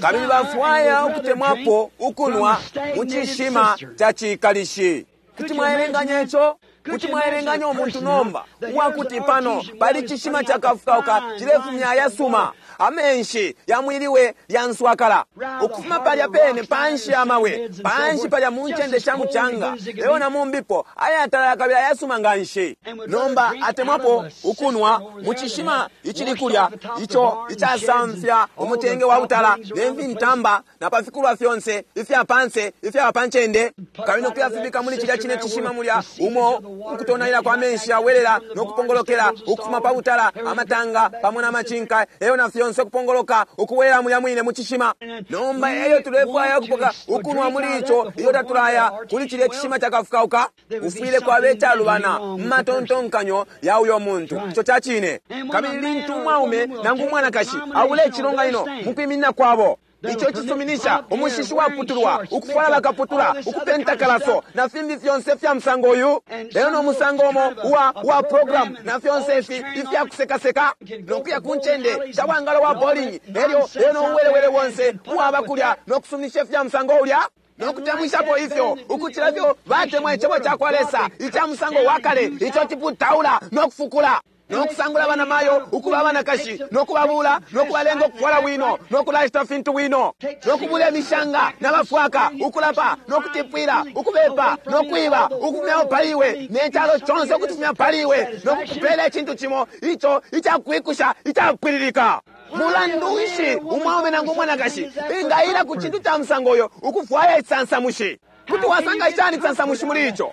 Kabili bafwaya ukutemwapo ukunwa mu cishima ca cikalishi. Kuti mwaelenganya ico? Kuti mwaelenganya umuntu nomba uwakuti pano pali cishima cakafukauka cilefumya ayasuma amenshi yamwiliwe lyanswakala ukufuma palya pene panshi ya mawe, panshi palya mu ncende sha mucanga, lelo na mumbipo ayatalala kabili ayasuma nga nshi. Nomba atemwapo ukunwa mu cishima icili kulya ico icasamfya umutenge wa butala ne fintamba na pa fikulwa fyonse ifya panse ifyaba pa ncende, kabili nokuyafibika muli cilya cine cishima mulya umo ukutonaila kwa menshi awelela nokupongolokela ukufuma pa butala, amatanga pamo na macinka, eyo na fyonse kupongoloka ukuwela mulya mwine mu cishima. Nomba eyo tulefwaya ukupoka ukunwa muli ico iyo tatulaya kuli cilya cishima cakafukauka, ufwile kwaba icalubana mu matontonkanyo ya uyo muntu. Ico ca cine. Kabili lintu umwaume nangu umwanakashi abula icilonganino mu kwiminina kwabo, ico cisuminisha umushishi waputulwa, ukufwala bakaputula, ukupenta kalaso na fimbi fyonse fya musango uyu, lelo no musango umo uwa uwa program na fyonse ifi ifya kusekaseka, nokuya ku ncende sha bwangalo wa bowling, elyo lelo no uwelewele wonse uwaba kulya nokusuminisha ifya musango ulya, nokutemwishapo ifyo ukucila ifyo batemwa icebo ca kwa Lesa ica musango wa kale ico ciputaula nokufukula, nokusangula bana mayo ukuba abanakashi, nokubabula nokubalenga ukufwala bwino, nokulacita fintu bwino, nokubula imishanga nabafwaka, ukulapa nokutipwila, ukubepa nokwiba, ukufumyapo pali iwe ne calo conse ukutifumya pali iwe, nokukupela icintu cimo ico icakwikusha icapwililika. Mulandu nshi umwaume nangu umwanakashi bengaila ku cintu ca musango uyo ukufwaya icisansamushi? Kuti wasanga shani icisansamushi muli ico?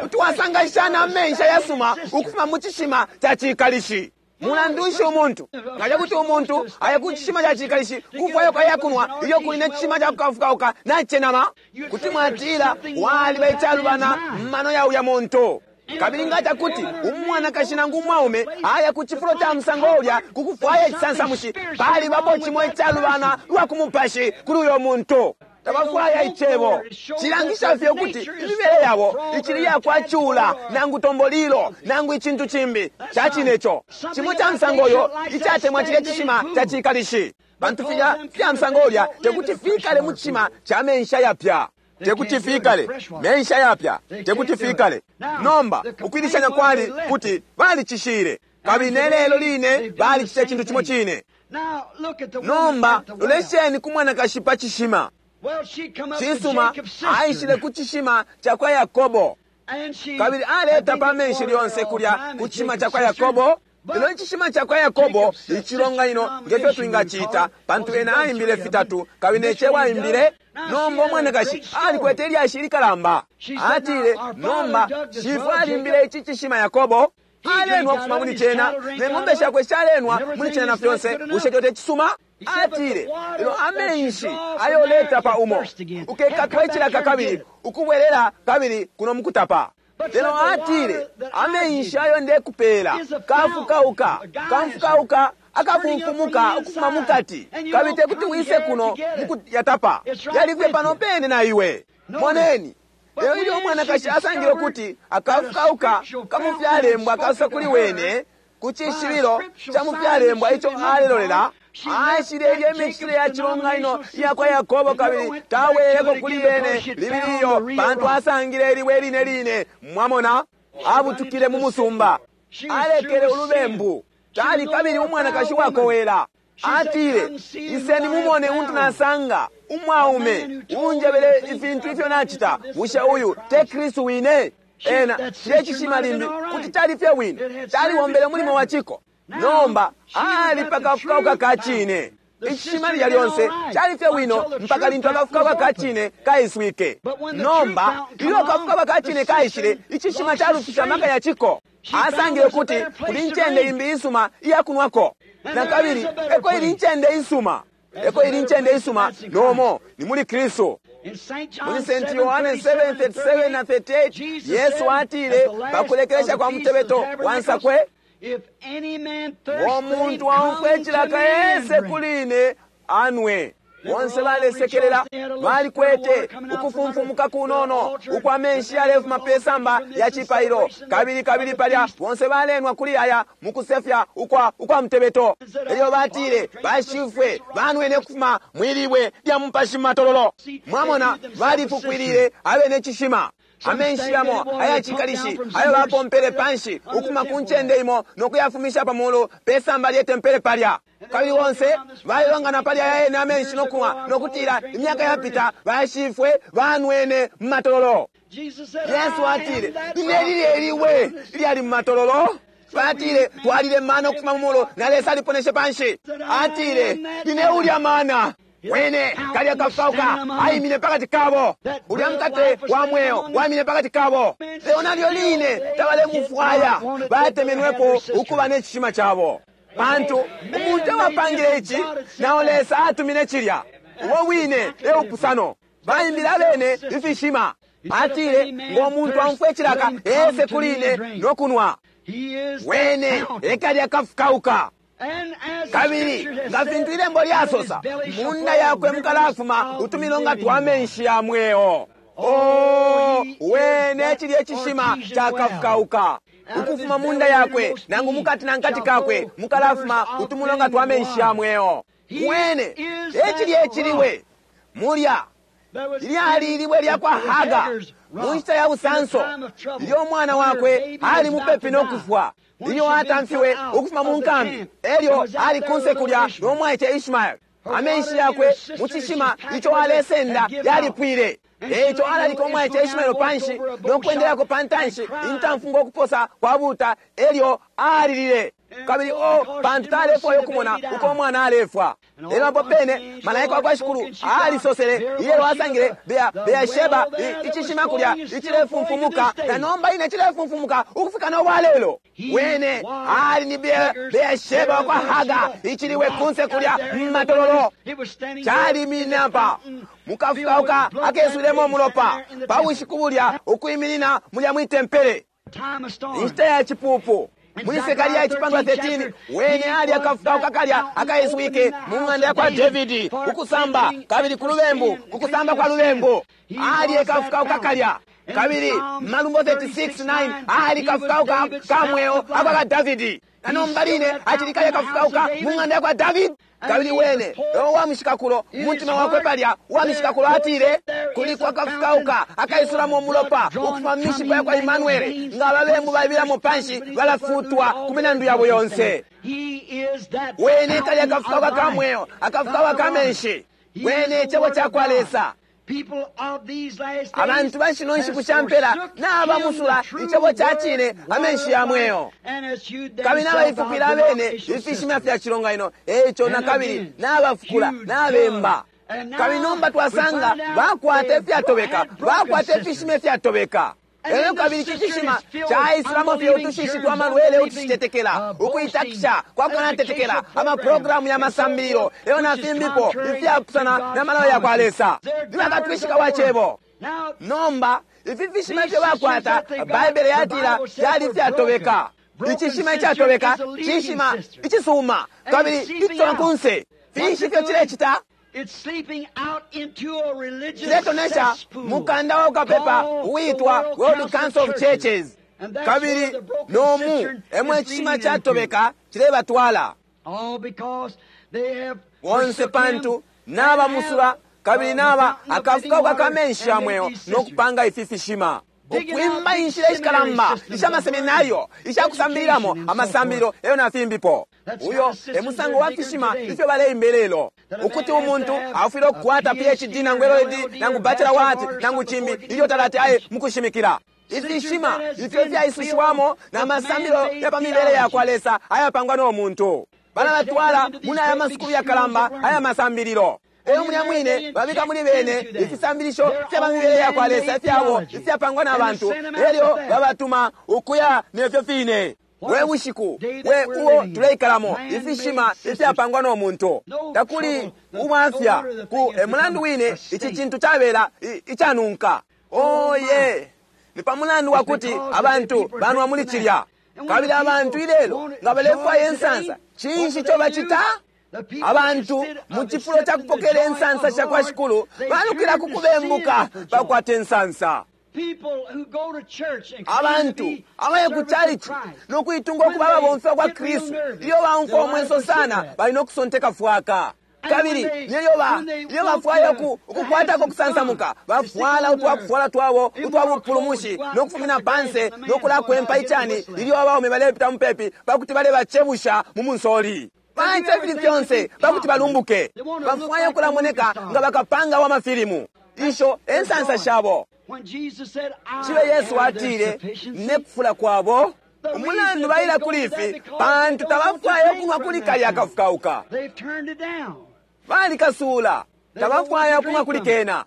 Kuti wasanga shani amenshi ayasuma ukufuma mu cishima ca cikalishi? Mulandu nshi umuntu nga cakuti umuntu aya ku cishima ca cikalishi kufwaya ayakunwa ilyo kuli ne cishima ca kukafukauka nacenama? Kuti mwatila waliba icalubana mu mano ya uya muntu. Kabili nga cakuti umwanakashi nangu umwaume aya ku cifulo ca musango ulya ku kufwaya icisansamushi, palibapo cimo icalubana lwa ku mupashi kuli uyo muntu. Tabafwaya icebo. Cilangisha fye ukuti imibele yabo icili yakwa cula nangu tombolilo nangu icintu cimbi. Ca cine ico. Cimo ca musango uyo icatemwa cilya cishima ca cikalishi. Pantu filya fya musango ulya tekuti fikale mu cishima ca menshi ayapya. Tekuti fikale menshi ayapya, tekuti fikale. Nomba ukuilishanya kwali kuti balicishile, kabili ne lelo line balicita icintu cimo cine. Nomba lolesheni ku mwanakashi pa cishima. Cisuma, aishile ku cishima ca kwa Yakobo, kabili aleta pa menshi lyonse kulya ku cishima ca kwa Yakobo. Lelo icishima cakwa Yakobo, icilonganino, ngefyo twingacita, pantu ena aimbile fitatu, kabili ne Cebo aimbile. Nomba umwanakashi alikwete ilyashi ilikalamba. Atile, Nomba, shifwe alimbile ici cishima Yakobo. Alenwa ukufuma muli cena, ne ng'ombe shakwe shalenwa muli cena na fyonse. Bushe ico te cisuma? Atile, Lelo amenshi ayo uletapa umo, ukekatwa icilaka kabili ukubwelela kabili kuno mukutapa. Lelo atile, Amenshi ayo ndekupela kafukauka, kamfukauka akafumfumuka ukufuma mukati, kabili tekuti wise kuno mukuyatapa, yali fye pano pene na iwe. Moneni. Lelo ilyo umwanakashi asangile ukuti akafukauka kamufyalembwa kasosa kuli wene, ku cishibilo ca mufyalembwa ico alelolela, aishile ilya imicitile ya cilonganino iya kwa Yakobo kabili tabweleleko kuli yene libili iyo, pantu asangile ilibwe line line. Mwamona, abutukile mu musumba, alekele ulubembu. Tali kabili umwanakashi wakowela. Atile, Iseni mumone untu nasanga, umwaume uunjebele ifintu ifyo nacita. Bushe uyu te Kristu wine? Ena cilye cishima limbi kuti cali fye bwino, calibombele umulimo wa ciko. Nomba ali pa kafukauka ka cine. Icishima lilya lyonse cali fye bwino mpaka lintu akafukauka ka cine kaiswike. Nomba ilyo akafukauka ka cine kaishile, icishima calufishe amaka ya ciko. Asangile ukuti kuli incende imbi isuma iya kunwako. Na kabili eko ili incende isuma. Eko ili incende isuma nomo ni muli Kristu. Muli St. Yohane 7:37 na 38, Yesu atile pa kulekelesha kwa mutebeto wa nsakwe, Ngo muntu aumfwe icilaka ese kuli ine anwe. Bonse balesekelela, balikwete ukufumfumuka kunono ukwa menshi yalefuma pe samba lya cipailo, kabili kabili palya bonse balenwa kuli aya mukusefya ukwa ukwa mutebeto. Elyo batile, Bashifwe banwene ukufuma mwi libwe lya mupashi mu matololo. Mwamona, balifukwilile abene cishima. Amenshi yamo aya cikalishi ayo bapompele panshi ukufuma ku ncende imo no kuyafumisha pa mulu pe samba lye tempele palya. Kabili bonse balelongana pali aya yene amenshi no kunwa, no kutila, Imyaka yapita bashifwe banwene mu matololo. Yesu atile, Nine lilye libwe ilyali mu matololo. Batile, Twalile mana ukufuma mu mulu, na Lesa aliponeshe panshi. Atile, Nine ulya mana. Wene kalya kafauka aimine pakati kabo. Ulya mukate wa mweo waimine pakati kabo. Lelo nalyo line tabalemufwaya, batemenwepo ukuba ne cishima cabo. Pantu umuntu ewapangile ici, nao Lesa atumine cilya. Ubo wine e bupusano. Baimbile abene ifishima. Atile, Ngo muntu aumfwe cilaka, ese kuli ine no kunwa. Wene e kalya kafukauka. Kabili nga fintu ilembo lyasosa, mu nda yakwe mukalafuma utumilonga twa menshi ya mweo. Oh, wene cilye cishima cakafukauka. Ukufuma mu nda yakwe, nangu mukati na nkati kakwe, mukalafuma utumilonga twa menshi ya mweo. Wene e cilye cilibwe mulya Lyali ilibwe lya kwa Haga mu nshita ya busanso, ilyo umwana wakwe ali mupepi no kufwa, ilyo atamfiwe ukufuma mu nkambi, elyo ali kunse kulya no mwaice Ishmael. Amenshi yakwe mu cishima ico alesenda yalipwile. E ico alalika umwaice Ishmael panshi no kwendelako pa ntanshi intamfu ngo kuposa kwa buta, elyo alilile. Kabili o, pantu talefwaya ukumona uko umwana alefwa. Lelo apo pene malaika wa kwa Shikulu alisosele, ilelo asangile Bea, Beersheba, icishima kulya icilefumfumuka, na nomba ine cilefumfumuka ukufika no bwa lelo. Wene ali ni Beersheba wa kwa Haga, iciliwe kunse kulya mu matololo. Caliminine apa mukafukauka akeswilemo umulopa pa bushiku bulya, ukwiminina mulya mwi tempele, inshita ya cipupu. Muli Sekaria icipandwa 13, wene ali akafukauka kalya akaiswike mu ng'anda ya kwa Davidi, ukusamba kabili ku lubembu, ku kusamba kwa lubembu. Ali ekafukauka kalya. Kabili Malumbo 36:9, ali kafukauka ka mweo akwa kwa Davidi. Na nomba line acili kalya kafukauka mu ng'anda ya kwa Davidi. Kabili wene e uwa mushikakulo, mu mutima wakwe palya, uwa mishikakulo atile, Kuliko akafukauka akaisulamo umulopa ukufuma mu mishipa yakwa Imanuele, nga ababembu baibilamo panshi, balafutwa ku milandu yabo yonse. Wene kalya akafukauka ka mweo, akafukauka ka menshi. Wene Cebo cakwa Lesa. Abantu ba shino nshiku sha mpela nabamusula icebo ca cine, amenshi ya mweo, kabili nabaifupila abene ifishima fya cilonganino. Eico na kabili nabafukula nabemba. Kabili nomba twasanga bakwata ifyatobeka, bakwata ifishima ifyatobeka. Elyo kabili ici cishima caisulamo fye utushishi twa malwele utushitetekela, ukuitakisha kwa kukanatetekela, amaprogramu ya masambililo elyo na fimbipo ifyapusana na malayo ya kwa Lesa. Ni bakatwishika wa cebo. Nomba ifi fishima ifyo bakwata, Baibele yatila fyali ifyatobeka. Icishima icatobeka cishima icisuma kabili icitona kunse. Finshi ifyo cilecita? Ciletonesha mukanda wa ukapepa uitwa World Council of Churches, kabili nomu emwe icishima catobeka cilebatwala bonse, pantu nabamusula kabili naba akafukauka kamenshi ya mweo no kupanga ifi fishima, ukwimba inshila ishikalamba isha maseminario isha kusambililamo amasambililo eyo na fimbipo. Uyo e musango wa fishima ifyo baleimba lelo, ukuti umuntu afwile ukukwata PhD nangu LLD nangu bachelor wa art nangu cimbi ilyo talati aye mukushimikila. Ifishima ifyo fyaisushiwamo na masambililo ya pa mibele ya kwa Lesa ayapangwa no muntu, balabatwala muli aya masukulu yakalamba aya masambililo. Eyo mulya mwine babika muli bene ifisambilisho fya mibele ya kwa Lesa ifyabo ifyapangwa na bantu, elyo babatuma ukuya nefyo fine. We bushiku we uo tuleikalamo, ifishima ifyapangwa no muntu! Takuli ubwafya ku e mulandu wine ici cintu cabela icanunka. Oye, ni pa mulandu wa kuti abantu banwa muli cilya. Kabili abantu ilelo nga balefwaya insansa, cinshi ico bacita? Abantu mu cifulo ca kupokela insansa sha kwa Shikulu balukila ku kubembuka bakwata insansa. Abantu abaya ku calici no kuitunga ukuba ababomfi kwa Kristu, ilyo baumfwa umwenso sana, bali no kusonteka fwaka. Kabili ilyo bafwaya ukukwatako kusansamuka, bafwala utwakufwala twabo utwa bupulumushi no kufumina panse no kulakwempa icani ilyo abaume balepita mupepi pakuti balebacebusha mu munsoli. Bacita ifili fyonse pakuti balumbuke. Bafwaya ukulamoneka nga bakapanga wa mafilimu. Isho ensansa shabo. Cibe Yesu atile ne kufula kwabo. Umulandu baila kuli ifi, pantu tabafwaya ukunwa kuli kalya akafukauka. Balikasuula, tabafwaya ukunwa kuli kena.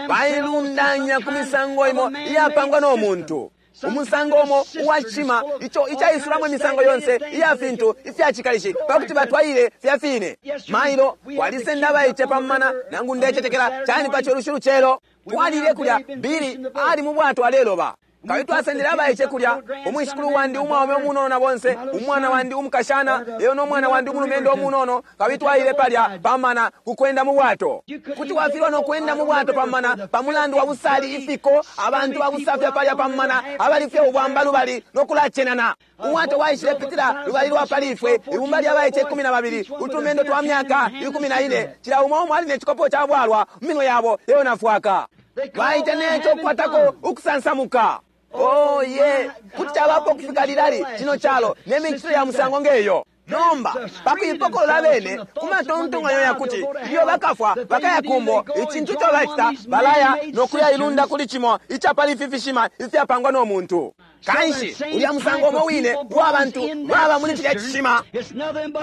Bailundanya ku misango imo iyapangwa no muntu, umusango umo uwacima ico icaisulamo imisango yonse iya fintu ifyacikalishi pakuti batwaile fya fine. Mailo kwalisenda abaice pamumana, nangu ndecetekela cani pa colushi lucelo twalile kulya. Bili ali mu bwato aleloba, kabili twasendele abaice kulya, umwishikulu wandi umwaume umunono na bonse, umwana wandi umukashana eyo no mwana wandi umulumendo umunono, kabili twaile palya pamana kukwenda mu bwato. Kuti wafilwa no kwenda mu bwato pamana pa mulandu wa busali, ifiko, abantu babusafya palya pamana abali fye ubwamba lubali no kulacenana. Ubwato bwaishile pitila lubali lwa pali ifwe, ibumba lya baice 12, utumendo twa myaka 14, cila umo umo ali ne cikopo ca bwalwa mu minwe yabo eyo nafwaka. Baita neco kukwatako ukusansamuka. Oh ye, kuti cabapo kufika lilali cino calo ne micitile ya musango ngeyo? Nomba pakuipokolola bene ku matontonkanyo yakuti ilyo bakafwa bakaya kumbo, icintu ico bacita, balaya no kuyailunda kuli cimo ica pali ifi fishima ifyapangwa no muntu. Kanshi ulya musango umo wine uwa bantu baba muli cilya cishima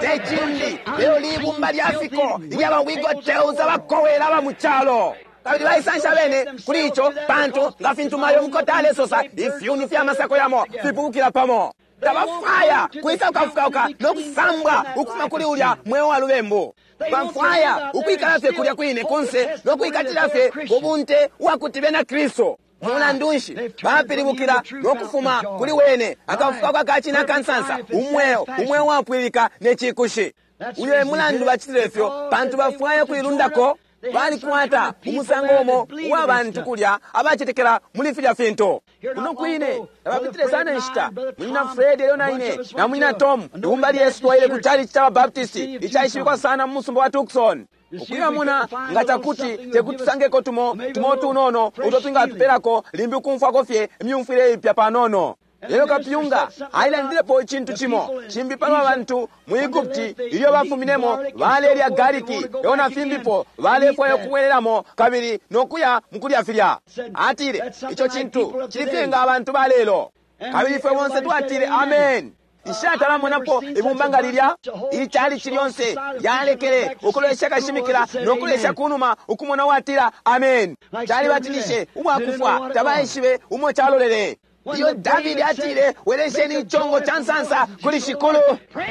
te cimbi lelo libumba lya fiko ilya bawigoteuza bakowela aba mu calo, kabili baisansha bene kuli ico, pantu nga fintu mayo mukota alesosa, ifyuni fya masako yamo fipukukila pamo. Tabafwaya kwisa kukafukauka no kusambwa ukufuma kuli ulya mweo wa lubembu. Bafwaya ukwikala fye kulya kwine kunse no kwikatila fye ubunte uwakuti bena Kristu. Mulandu nshi bapilibukila no kufuma kuli wene akafukauka ka cine akansansa, umweo, umweo wapwililika ne cikushi? Uyo e mulandu bacitile fyo, pantu bafwaya kuilundako. Balikwata umusango umo uwa bantu kulya abacetekela muli filya fintu. Kuno kwine tabapitile sana inshita, munyina Fred elyo na ine na munyina Tom, ibumba lyesu, twaile ku chalichi ca Babaptisti icaishibikwa sana mu musumba wa Tucson, ukuyamona nga cakuti tekuti tusangeko tumo tumo tunono uto twingatupelako limbi ukumfwako fye imyumfwile ipya panono. Lelo kapyunga ailandilepo icintu cimo cimbi palwa bantu mu Egupti ilyo bafuminemo, balelya gariki elo na fimbipo, balefwaya ukubwelelamo kabili no kuya mukulya filya. Atile, ico cintu cili fye nga abantu ba lelo. Kabili ifwe bonse twatile, Amen. Nshatalamonapo ibumba nga lilya. Ichalichi lyonse lyalekele ukulolesha kashimikila no kulolesha kunuma ukumona watila amen. Calibatinishe ubwakufwa, tabaishibe umo calolele. Iyo Davidi atile, welesheni ichongo cha nsansa kuli Shikulu,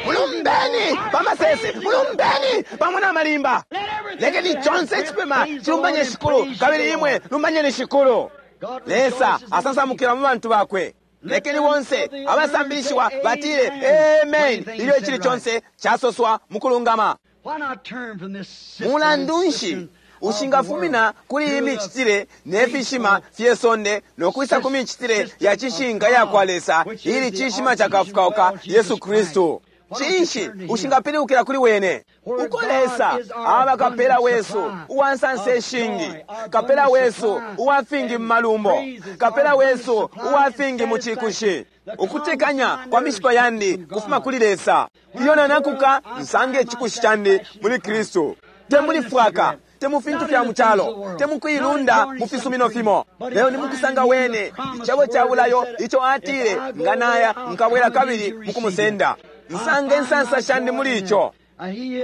mulumbeni pamasese, mulumbeni pamo na malimba, lekeni chonse icipema chilumbanye Shikulu, kabili imwe lumbanyeni Shikulu. Lesa asansamukila mu bantu bakwe. Lekeni bonse abasambilishiwa batile amen ilyo icili conse casoswa mukulungama. Mulandu nshi ushingafumina kuli iyi micitile ne fishima fye sonde no kwisa ku micitile ya cishinka ya kwa Lesa, ili cishima cakafukauka Yesu Kristu? Cinshi ushingapilibukila kuli wene? Uko Lesa aba kapela wesu uwa nsansa ishingi, kapela wesu uwa fingi mu malumbo, kapela wesu uwa fingi mu cikushi. Ukutekanya kwa mishipa yandi kufuma kuli Lesa. Iyo nanakuka nsange icikushi candi muli Kristu, te muli fwaka, te mu fintu fya mu calo, te mu kuilunda mu fisumino fimo, lelo ni mukusanga wene icebo ca bulayo ico atile, nga naya nkabwela kabili mukumusenda. Nsange nsansa shandi muli ico.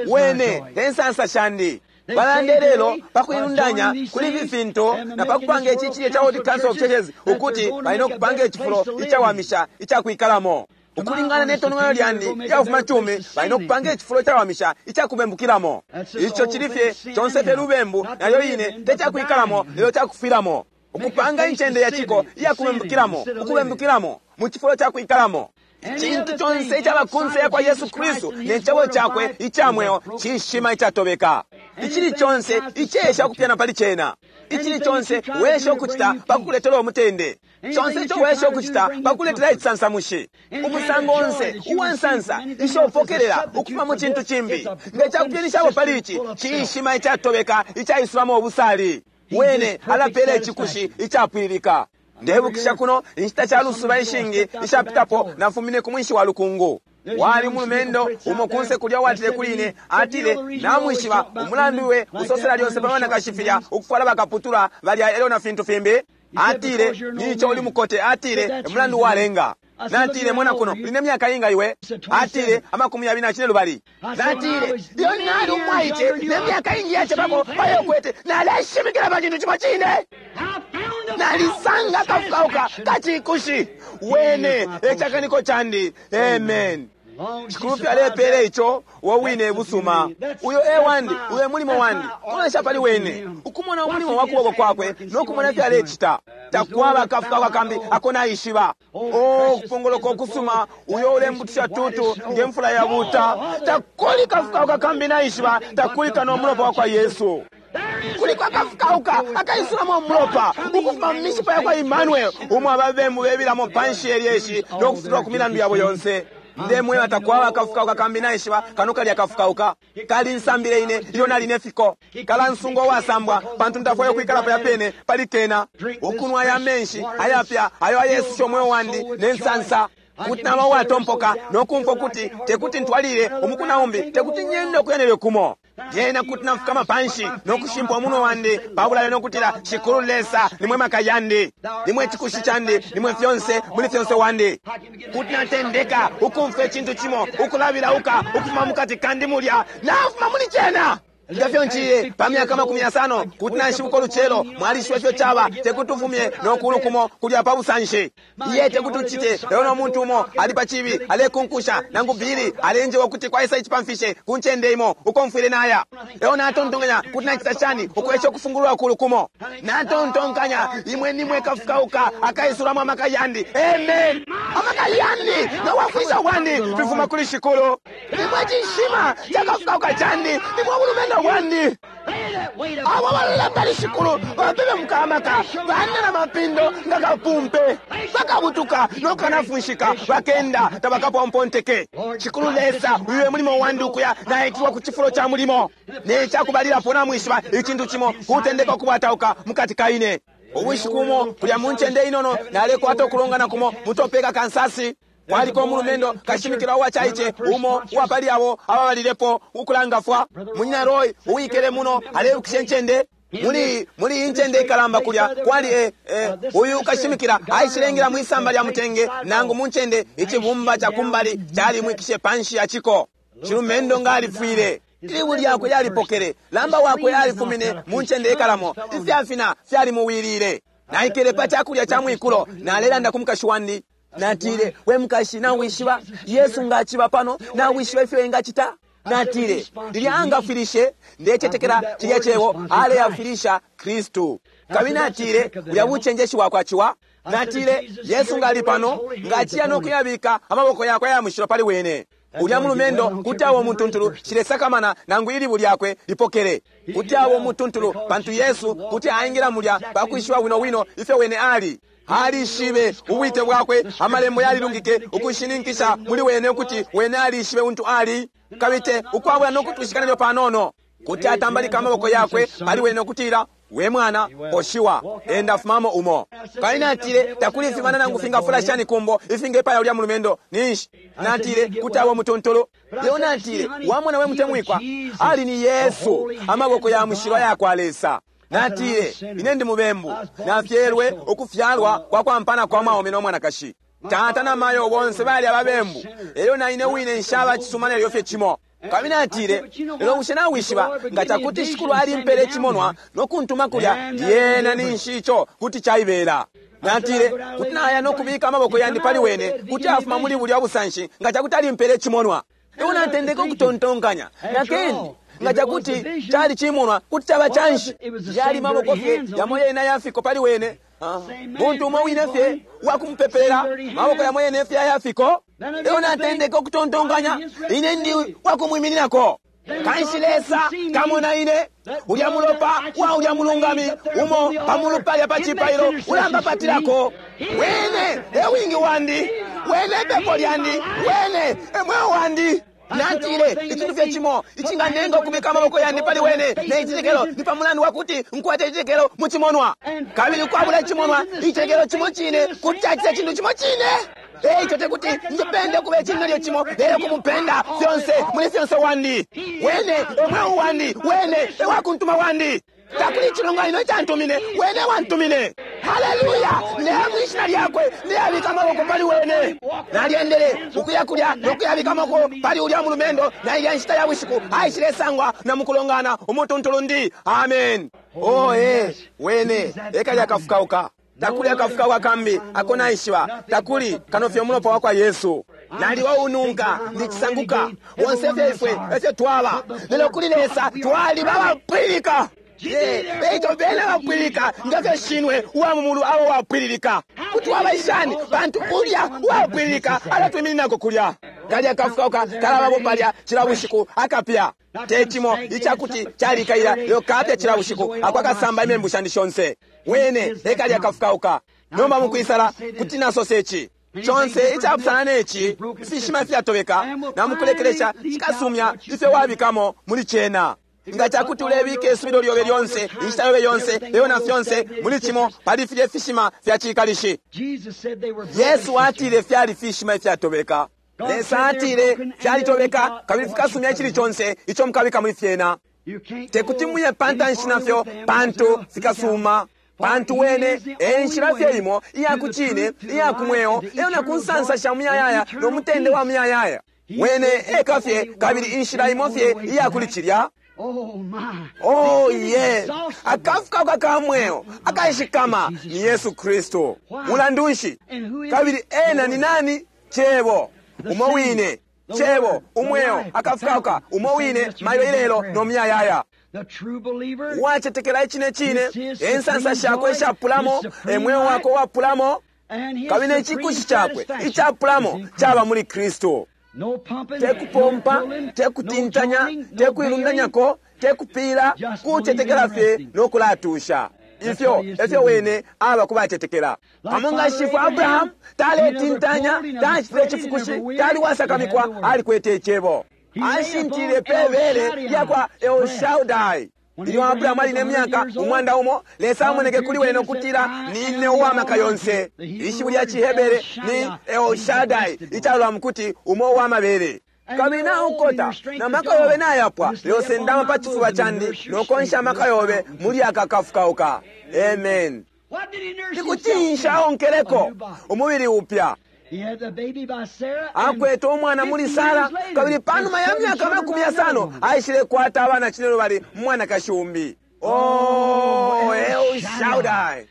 Wene e nsansa shandi. Balande lelo pa kuilundanya kuli ifi fintu na pa kupanga ici cilye ca World Council of Churches ukuti bali no kupanga icifulo icawamisha ica kwikalamo. Ukulingana ne tonongano lyandi ilya kufuma cumi, bali no kupanga icifulo icawamisha ica kubembukilamo. Ico cili fye conse fye lubembu, nalyo line te ca kwikalamo lelo ca kufwilamo. Ukupanga incende ya ciko iya kubembukilamo, ukubembukilamo mu cifulo ca kwikalamo. Icintu conse icaba kunse ya kwa Yesu Kristu ne cebo cakwe ica mweo cishima icatobeka. Icili conse icesha ukupyana pali cena. Icili conse wesha ukucita pa kukuletela umutende. Conse ico wesha ukucita pa kukuletela icisansamushi. Umusango onse uwa nsansa isho upokelela ukufuma mu cintu cimbi, nga cakupyanishapo pali ici, cishima icatobeka icaisulamo ubusali. Wene alapela icikushi icapwililika. Ndebukisha kuno inshita ca lusuba ishingi ishapitapo, nafumine ku mwinshi wa lukungu. Wali umulumendo umo kunse kulya watile kuli ine, atile, namwishiba umulandu iwe usosela lyonse pa banakashi filya ukufwala bakaputula balya elyo na fintu fimbi. Atile, nico uli mukote. Atile, umulandu walenga. Natile, mona kuno, uli ne myaka inga iwe? Atile, 25. Natile, iyo nali umwaice ne myaka ingi yacepako payo kwete, naleshimikila pa cintu cimo cine. Nalisanga kafukauka kacikushi. Wene ecakaniko candi. Amen. Shikulu fye alepele ico wo wine busuma. Uyo e wandi, uyo e mulimo wandi. Kulolesha pali wene, ukumona umulimo wa kuboko kwakwe no kumona ifyo alecita. Takwaba akafukauka kambi ako naishiba. Oh, kupongoloka ukusuma, uyo ulembutisha tutu nge mfula ya buta. Takuli kafukauka kambi naishiba, takuli kano mulopa wa kwa Yesu. Kuliko akafukauka akaisulamo umulopa ukufuma mu mishipa ya kwa Emmanuel, umo ababembu bebilamo panshi elyeshi no kufutulwa ku milandu yabo yonse. Ndemweba takwaba akafukauka kambi naishiba kano kali akafukauka. Kali nsambile ine ilyo nali ne fiko. Kalansunga uwasambwa pantu ntafwayo kwikala palya pene pali kena. Ukunwa aya menshi ayapya ayo ayesusha umweo wandi ne nsansa. Kuti naba uwatompoka no kumfwa ukuti tekuti ntwalile umuku na umbi, tekuti nyende ukuya nelyo kumo. Lyena kuti nafukama panshi no kushimpwa umunwe wandi pa bulayo no kutila, Shikulu Lesa, nimwe maka yandi, nimwe cikushi candi, nimwe fyonse muli fyonse wandi. Kuti natendeka ukumfwa icintu cimo ukulabilauka ukufuma mukati kandi mulya, nafuma muli cena. Nga fyo nciye pa myaka 50, kuti nashibuka ulucelo, mwalishiba ifyo caba, tekuti ufumye no kulu kumo kulya pa busanshi. Iye tekuti ucite, lelo no muntu umo ali pa cibi alekunkusha, nangu bili alenjewa ukuti kwaisa icipamfishe ku ncende imo uko mfwile naya. Lelo natontonkanya kuti nacita shani ukwesha ukufungulula kulu kumo. Natontonkanya, imwe nimwe kafukauka akaisulamo amaka yandi. Amen. Amaka yandi na wafwisha wandi fifuma kuli Shikulu. Nimwe cishima cakafukauka candi, nimwe bulumendo wandi. Abo balola pali Shikulu bapebe mukamaka, bane na mapindo nga kapumpe, bakabutuka no kanafunshika, bakenda tabakapomponteke. Shikulu Lesa, uyu e mulimo wandi ukuya naitilwa ku cifulo ca mulimo. Ne cakubalilapo namwishiba icintu cimo kutendeka ukubwatauka mukati ka ine. Ubushiku bumo kulya mu ncende inono nalekwata ukulongana kumo mu Topeka, Kansas. Kwaliko umulumendo kashimikila uwacaice umo uwapali abo ababalilepo ukulangafwa. Munyina Roy uwikele muno aleibukisha incende. Muli muli iyi ncende ikalamba kulya kwali e, e, uyu kashimikila aishilengela mwisamba lya mutenge nangu mu ncende icibumba ca kumbali calimwikishe panshi ya ciko. Cilumendo nga alifwile. Ilibu lyakwe lyalipokele, lamba wakwe alifumine mu ncende ikalamo, ifyafina fyalimuwilile. Naikele pa cakulya ca mwikulo, nalelanda ku mukashi wandi. Natile, we mukashi, nawishiba Yesu nga aciba pano, nawishiba ifyo engacita? Natile, lilya angafwilishe, ndecetekela cilya cebo aleafwilisha Kristu. Kabili natile, bulya bucenjeshi bwakwa ciwa. Natile, Yesu nga ali pano, nga aciya no kuyabika amaboko yakwe aya mushilo pali wene. Ulya mulumendo kuti aba umutuntulu, nshilesakamana nangu ilibu lyakwe lipokele. Kuti aba umutuntulu, pantu Yesu kuti aingila mulya pa kwishiba bwino bwino ifyo wene ali. Alishibe ubwite bwakwe, Amalembo yalilungike ukushininkisha muli wene ukuti wene alishibe untu ali, kabili te ukwabula no kutwishika nelyo panono. Kuti atambalika amaboko yakwe pali wene no kutila, We mwana, poshiwa, enda fumamo umo. Kabili natile, Takuli ifibanda nangu fingafula shani kumbo ifingepaya ulya mulumendo. Ninshi? Natile, Kuti aba umutuntulu. Lelo natile, Wamona we mutemwikwa, ali ni Yesu, amaboko ya mushilo ayakwa Lesa. Natile, Ine ndi mubembu. Nafyelwe ukufyalwa kwa kwampana kwa mwaume no mwanakashi. Tata na mayo bonse bali ababembu, elyo na ine wine nshaba cisuma nelyo fye cimo. Kabili natile, Lelo bushe nawishiba, nga cakuti Shikulu alimpele icimonwa no kuntuma kulya, lyena ninshi ico kuti caibela. Natile, Kuti naya no kubika amaboko yandi pali wene, kuti afuma muli bulya busanshi nga cakuti alimpele icimonwa. Elyo natendeke ukutontonkanya, Nakindi, nga cakuti cali cimonwa, kuti caba canshi? Yali maboko fye yamo yene aya fiko pali wene. Muntu umo wine fye uwakumupepela, maboko yamo yene fye aya fiko. Elyo natendeke ukutontonkanya, Ine ndi wakumwimininako. Kanshi Lesa kamona ine, ulya mulopa wa ulya mulungami umo pa mulu palya pa cipailo ulambapatilako. Wene e wingi wandi, wene e pepo lyandi, wene e mweo wandi. Natile, Icintu fye cimo icinganenga ukubika amaboko yandi pali wene ne citetekelo ni pa mulandu wa kuti nkwete icitetekelo mu cimonwa. Kabili ukwabula icimonwa, icitetekelo cimo cine kuti cacita icintu cimo cine. E ico te kuti njipende ukuba icintu nelyo cimo, lelo kumupenda fyonse muli fyonse wandi. Wene e mweo wandi, wene e wakuntuma wandi. Takuli icilonganino icantumine, wene ewantumine. Haleluya! Ndeya mwi Shina Lyakwe, ndeyabika amaboko pali wene. Nalyendele ukuya kulya no kuyabika amaboko pali ulya mulumendo, na ilya nshita ya bushiku aishilesangwa na mukulongana umutuntulu ndi. Amen. Oh, ee, wene e kalya kafukauka. Takuli akafukauka kambi ako naishiba, takuli, kano fye Umulopa wakwa Yesu. Naliba uununka, ndi cisanguka. Bonse fye ifwe efyo twaba. Lelo kuli Lesa twaliba abapwililika. Eico beni abapwililika nga fyo Shinwe uwa mu mulu aba uwapwililika. Kuti waba shani? Pantu ulya uwapwililika alatwimininako kulya. Kalya kafukauka kalabapo palya cila bushiku, akapya. Te cimo icakuti calikaila, lelo kapya cila bushiku, ako akasamba imembu shandi shonse. Wene e kalya kafukauka. Nomba mukwisala, kuti nasosa ici. Conse icapusana ne ci, ifishima ifyatobeka, na mukulekelesha cikasumya ifyo wabikamo muli cena. Nga cakuti ulebika isubilo lyobe lyonse, inshita yobe yonse, elyo na fyonse muli cimo pali filye fishima fya ciikalishi. Yesu atile fyali fishima ifyatobeka. Lesa atile fyalitobeka kabili fikasumya icili conse ico mukabika muli fyena. Tekuti muye pantanshi nafyo pantu fikasuma. Pantu Wene e nshila fye imo iya ku cine, iya ku mweo, elyo na ku nsansa sha muyayaya no mutende wa muyayaya. Wene eka fye kabili inshila imo fye iya kuli cilya. Oh, ye! Akafukauka ka mweo akashikama ni Yesu Kristu. Mulandu nshi? Kabili Ena ni nani? Cebo umo wine, Cebo, Umweo, Akafukauka umo wine mailo, ilelo, no muyayaya. Uwacetekela icine cine, e nsansa shakwe ishapulamo, e mweo wakwe uwapulamo, kabili ne cikushi cakwe icapulamo caba muli Kristu. Te kupompa, te kutintanya, te kuilundanyako, te kupiila, kucetekela fye no kulatusha. Ifyo efyo Wene aba ku bacetekela. Pamo nga shifwe Abrahamu, taletintanya, tacitile icifukushi, tali uwasakamikwa, alikwete Icebo. Ashintilile pe bele lya kwa El Shaddai. Ilyo Abrahamu ali ne myaka 100, Lesa amoneke kuli wene no kutila, Nine uwa maka yonse. Ishiwi lya ciHebere ni El Shaddai, icalola mukuti umo uwa mabele. Kabili naukota, na maka yobe nayapwa, lelo sendama pa cifuba candi no konsha amaka yobe muli aka kafukauka. Amen. Nikucinsha aonkeleko umubili upya. Akwete umwana muli Sara, kabili panuma ya myaka 50 aishile kwata abana 12 mwanakashi umbi. Oh, El Shaddai.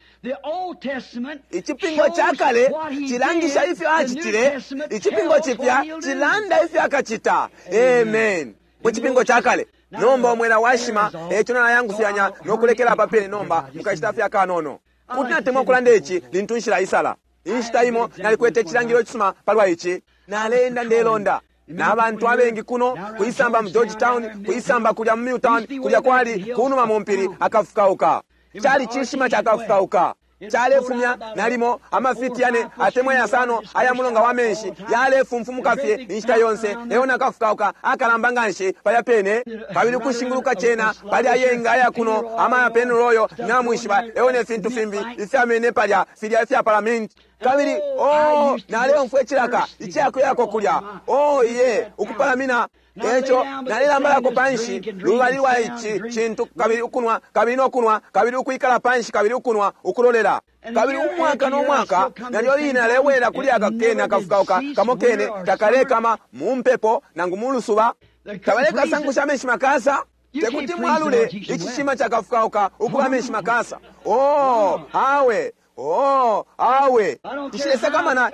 Icipingo ca kale cilangisha ifyo acitile, icipingo cipya cilanda ifyo akacita. Amen. Mu cipingo ca kale nomba umwela washima, eco nalayangufyanya no kulekela apa pene nomba mukashita fye akanono. Kuti natemwa ukulanda ici lintu nshila isala. Inshita imo nalikwete icilangililo cisuma palwa ici. Naleenda ndelonda na bantu abengi kuno kuisamba mu Georgetown, kuisamba kulya mu Milltown, kulya kwali kunuma mu mpili akafukauka. Cali cishima cakafukauka. Calefumya nalimo amafiti 4 atemwa 5 aya mulonga wa menshi, yalefumfumuka fye inshita yonse. Leo nakafukauka akalamba nganshi palya pene, kabili kushinguluka cena palya yenga aya kuno amaya penuloyo namwishiba, eo ne fintu fimbi ifyamene palya filya ifya palamenti. Kabili oh, naleumfwa icilaka icakuyako kulya, oh iye ukupalamina. Eco nalelambalako panshi lubali lwa ici cintu, kabili ukunwa, kabili nokunwa, kabili ukwikala panshi, kabili ukunwa, ukulolela. Kabili umwaka no mwaka nalyo line nalewela kuli aka kene akafukauka kamo kene takalekama mu mpepo nangu mu lusuba, tabalekasangusha amenshi makasa. Tekuti mwalule icishima cakafukauka ukuba amenshi makasa. Oh awe, oh awe, nshilesakamana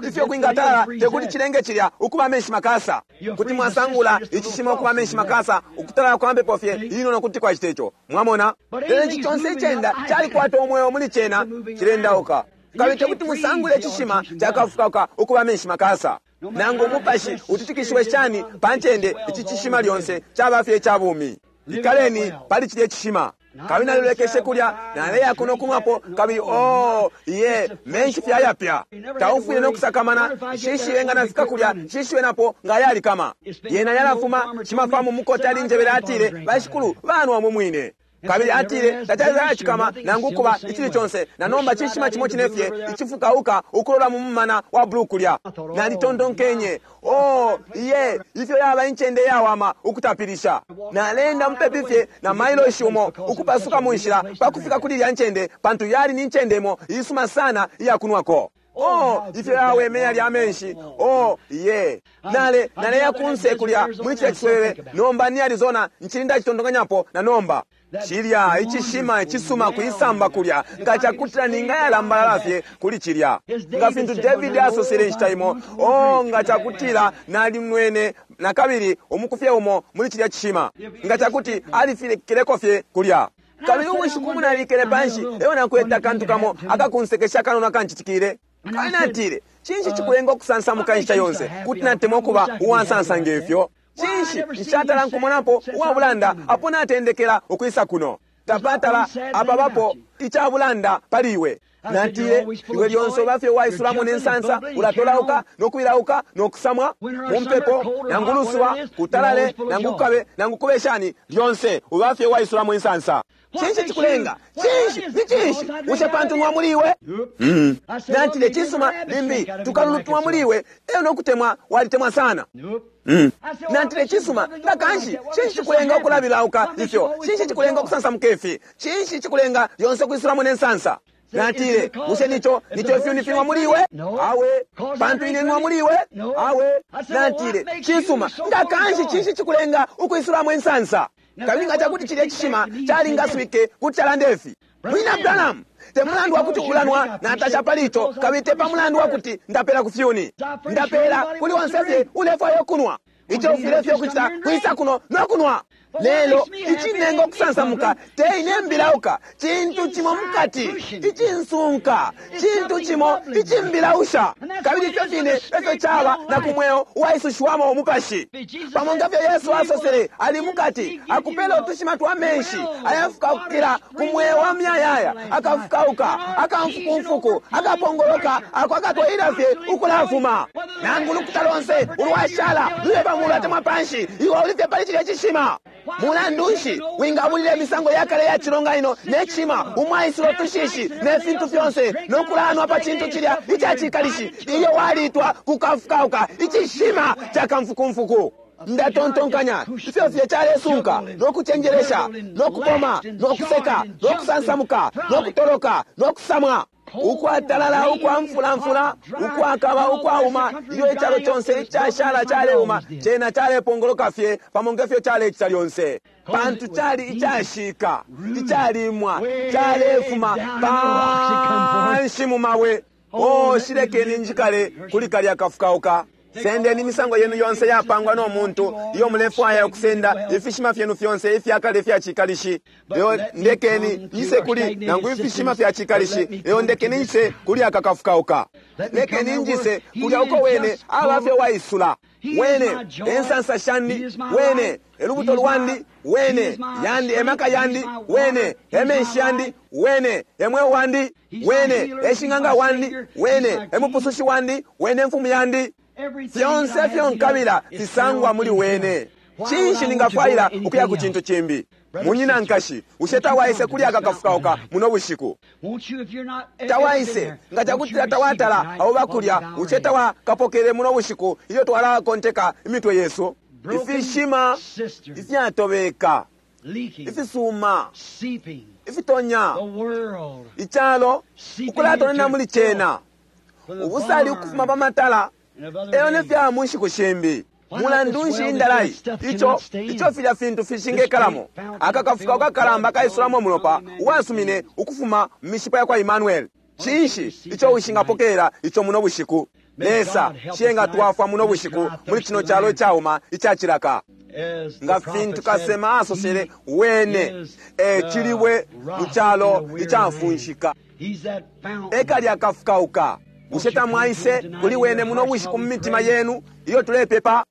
ifyo kwingatala, tekuti cilenge cilya ukuba amenshi makasa. Kuti mwasangula icishima ukuba amenshi makasa, ukutalala kwa mpepo fye inono kuti kwacita ico. Mwamona? Lelo ici conse icenda calikwata umweo muli cena, cilendauka. Kabili tekuti musangule icishima cakafukauka ukuba amenshi makasa. Nangu umupashi utitikishiwe shani pa ncende, ici cishima lyonse caba fye ica bumi. Ikaleni pali cilya icishima. Kabili nalilekeshe kulya, naleya kuno kunwapo, kabili oh iye menshi fye ayapya. Taufwile no kusakamana, shishiwe nga nafika kulya, shishiwe napo nga yalikama. Yena yalafuma, shimafamu mukota alinjebele atile, bashikulu banwa mu mwine. Kabili atile tacali nangu kuba icili conse, na nomba cishima cimo cinefye icifukauka ukulola mu mumana wa blue kulya. Nalitontonkenye, oh iye ifyo yaba incende yawama ukutapilisha. Nalenda mupepi fye na mailoshi umo ukupasuka mu nshila pakufika kuli ilya ncende, pantu yali ni ncende imo isuma sana iyakunwako. Oh, ifyo yaweme yali amenshi. Oh, ye. Naleya kunse kulya muli cilya ciswebebe. Nomba ni Arizona nchilinda citontonkanyapo na nomba. Cilya icishima icisuma kuisamba kulya nga cakutila ninga yalambalala fye kuli cilya. Nga fintu David asosele inshita imo, oh nga cakutila nalimwene na kabili umukufye umo muli cilya cishima. Nga cakuti alifikileko fye kulya. Kabili ubushiku munalikele panshi, eyo nakweta kantu kamo akakunsekesha kanono akancitikile. Kabili natile, cinshi cikulenga ukusansamuka inshita yonse, kuti natemwa ukuba uwansansa ngefyo? Cinshi nshatala nkumonapo uwabulanda apo natendekela ukwisa kuno? Tapatala apabapo icabulanda pali iwe. Natile, iwe lyonse ubafye waisulamo ne nsansa, ulatolauka nokwilauka nokusamwa mu mpepo nangu lusuba, kutalale nangu kukabe nangu kube shani, lyonse ubafye waisulamo insansa. Cinshi cikulenga? Cinshi? Ni cinshi? Ushe pantu nwa muli iwe? Natile, cisuma limbi tukalulutwa muli iwe, eyo nokutemwa walitemwa sana. Natile, cisuma nga kanshi cinshi cikulenga ukulabilauka ifyo? Cinshi cikulenga ukusansamuka ifi? Cinshi cikulenga lyonse kwisulamo ne nsansa? Natile, bushe nico ifyuni finwa muli iwe? Awe. Pantu ine nwa muli iwe? Awe. Natile, cisuma nga kanshi cinshi cikulenga ukwisulamo insansa? Kabili nga cakuti cilya cishima calingaswike kuti calanda ifi, Mwina Branham, te mulandu wakuti ulanwa natasha pali ico, kabili te pa mulandu wakuti ndapela ku fyuni, ndapela kuli onse fye ulefwaya ukunwa. Ico ufwile fye ukucita kwisa kuno no kunwa. Lelo icinenga ukusansamuka te ine mbilauka, cintu cimo mukati icinsunka, cintu cimo icimbilausha. Kabili ifyo fine efyo caba na ku mweo uwaisushiwamo umupashi. Pamo nga fyo Yesu asosele, ali mukati akupela utushima twa menshi ayafukaukila ku mweo wa myayaya, akafukauka akamfukumfuku akapongoloka ako akatwaila fye ukulafuma. Nangu lukuta lonse ulwashala lule pamulu atemwa panshi, iwe uli fye pali cilya cishima. Mulandu nshi wingabulila imisango yakale ya cilonganino ne cishima umwaisula utushishi ne fintu fyonse no kulanwa pa cintu cilya icacikalishi ilyo walitwa kukafukauka icishima ca kamfukumfuku? Ndatontonkanya ifyo fye calesunka no kucenjelesha no kupoma no kuseka no kusansamuka no kutoloka no kusamwa, ukwatalala ukwamfulamfula, ukwakaba ukwauma, ilyo icalo conse icashala caleuma, cena calepongoloka fye pamo nge fyo calecita lyonse, pantu cali icashika, icalimwa, calefuma panshi mu mabwe. O, shilekeni njikale kuli kalya kafukauka. Sendeni imisango yenu yonse yapangwa no muntu iyo mulefwaya ukusenda, ifishima fyenu fyonse ifyakale ifya cikalishi, lelo ndekeni njise kuli, nangu ifishima fya cikalishi, lelo ndekeni njise kuli aka kafukauka. Lekeni njise kulya uko wene aba fye waisula. Wene ensansa shandi, wene elubuto lwandi, wene yandi emaka yandi, wene emenshi yandi, wene emweo wandi, wene eshing'anga wandi, wene emupusushi wandi, wene mfumu yandi. Fyonse ifyo nkabila fisangwa muli wene. Cinshi ningafwaila ukuya ku cintu cimbi? Munyina, nkashi, bushe tawaise kuli aka kafukauka muno bushiku? Tawaise nga cakutila tawatala abo bakulya, bushe tawakapokele muno bushiku ilyo twalakonteka imitwe yesu? Ifishima ifyatobeka, ifisuma, ifitonya, icalo ukulatonena muli cena, ubusali ukufuma pa matala, eyo ne fya mu nshiku shimbi. Mulandu nshi indalai ico ico filya fintu fishingekalamo? Aka kafuka kakalamba kaisulamo umulopa uwasumine ukufuma mu mishipa ya kwa Emmanuel. Cinshi ico ushingapokelela ico muno bushiku? Lesa shienga twafwa muno bushiku muli cino calo icauma icacilaka. Nga fintu kasema asosele, wene e cilibwe mu calo icamfunshika, ekalya kafukauka. Bushe tamwaise kuli wene muno bushiku mu mitima yenu iyo tulepepa?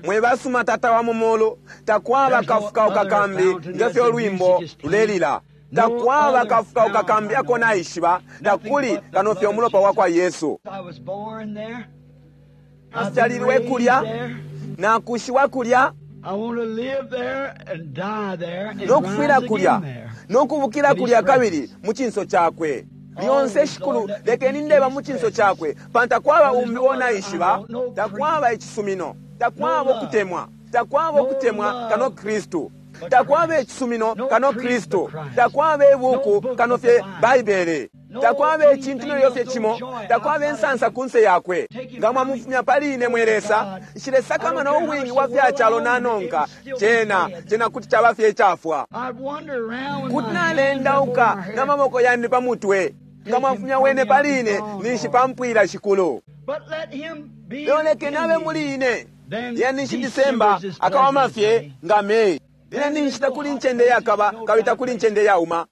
Mwe basuma Tata wa mu mulu, takwaba kafukauka kambi nge fyo lwimbo lulelila. Takwaba kafukauka kambi ako naishiba, takuli kano fye umulopa wa kwa Yesu. Afyalilwe kulya, nakushiwa kulya, no kufwila kulya, no kubukila kulya kabili mu cinso cakwe. Lyonse Shikulu, lekeni ndeba mu cinso cakwe, pantu takwaba umbi uo naishiba, takwaba icisumino, takwaba ukutemwa, takwaba ukutemwa kano Kristu, takwaba icisumino kano Kristu, takwaba ibuku kano fye Baibele, takwaba icintu nelyo fye cimo, takwaba insansa kunse yakwe. Nga mwamufumya pali ine, mwe Lesa, nshilesakamana ubwingi bwa fya calo nanonka, cena cena kuti caba fye icafwa. Kuti nalendauka na maboko yandi pa mutwe. Nga mwafumya wene pali ine, ninshi pampwila, Shikulu. Lelo lekeni abe muli ine, lyena ninshi Disemba akawama fye nga Meyi. Lyena ninshi takuli incende yakaba kabili takuli incende yauma.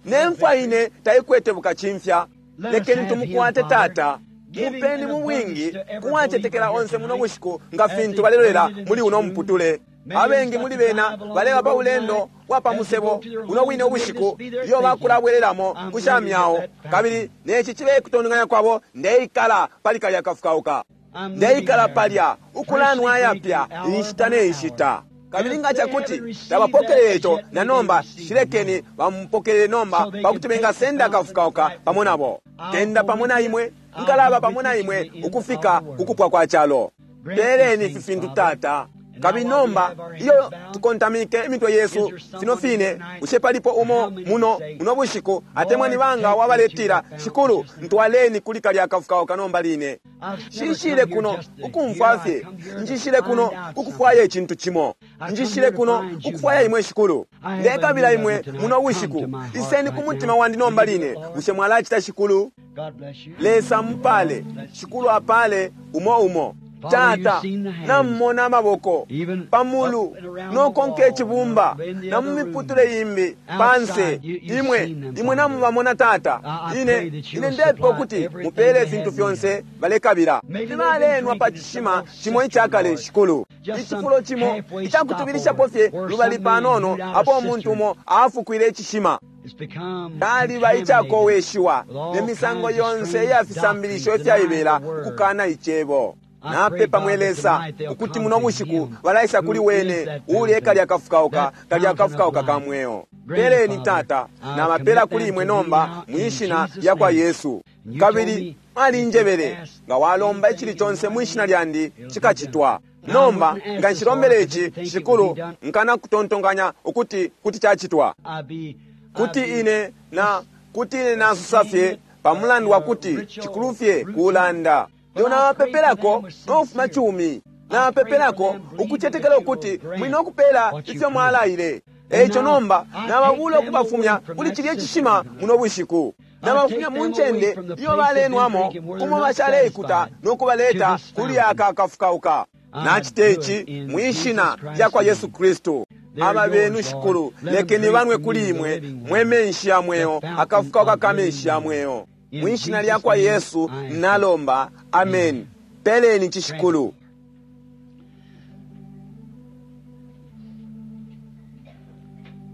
Ne mfwa ine taikwete bukacimfya. Lekeni tumukwate, Tata. Mupeni mu bwingi kuwacetekela onse muno bushiku nga fintu balelolela muli uno muputule. Abengi muli bena baleba pa bulendo bwa pa musebo uno wine ubushiku ilyo bakulabwelelamo ku sha myao, kabili neci cibe kutontonkanya kwabo, ndeikala pali kalya kafukauka, ndeikala palya ukulanwa ayapya inshita ne nshita. Kabili nga cakuti tabapokelele ico na nomba, shilekeni bamupokelele nomba pakuti bengasenda akafukauka pamo nabo. Kenda pamo na imwe, nkalaba pamo na imwe ukufika kukupwa kwa calo. Peeleni ifi fintu, Tata. Kabili nomba iyo tukontamike imitwe yesu fino fine, bushe palipo umo muno muno bushiku atemwa ni banga wabaletila, Shikulu, ntwaleni kuli kalya kafukauka nomba line? Nshishile kuno ukumfwa fye, njishile kuno kukufwaya icintu cimo. Njishile kuno kukufwaya imwe, Shikulu. Ndekabila imwe muno bushiku. Iseni ku mutima wandi nomba line. Bushe mwalacita, Shikulu? Lesa mupale. Shikulu apale umo umo. Tata, namumona amaboko pamulu nokonka icibumba na mu miputule imbi panse. Imwe imwe namubamona, Tata. Ine ine ndepepa ukuti mupele ifintu fyonse balekabila. Nibalenwa pa cishima cimo icakale, Shikulu, icifulo cimo icakutubilishapo fye lubali panono apo umuntu umo afukwile icishima. Caliba icakoweshiwa ne misango yonse iya fisambilisho ifyaibela ukukana Icebo. Napepa mwe Lesa ukuti muno bushiku balaisa kuli wene uuli ekalya kafukauka kalya kafukauka ka mweo. Peleni Tata, nabapela kuli imwe nomba mwi shina lya kwa Yesu. Kabili mwalinjebele, nga walomba icili conse mwi shina lyandi cikacitwa. Nomba nga nshilombele ici, Shikulu, nkana kutontonkanya ukuti kuti cacitwa. Kuti ine na kuti ine nasusa fye pa mulandu wa kuti cikulu fye kulanda. Lelo nabapepelako no kufuma cumi. Nabapepelako ukucetekela ukuti muli no kupela ifyo mwalaile. Eico nomba nababula ukubafumya kuli cilye cishima muno bushiku. Nabafumya mu ncende iyo balenwamo umo bashaleikuta no kubaleta kuli aka kafukauka. Nacita ici mwi shina lya kwa Yesu Kristu. Aba benu Shikulu, lekeni banwe kuli imwe mwe menshi ya mweo, akafukauka ka menshi ya mweo. Mwi shina lya kwa Yesu nalomba, amen. Peleni ici Shikulu.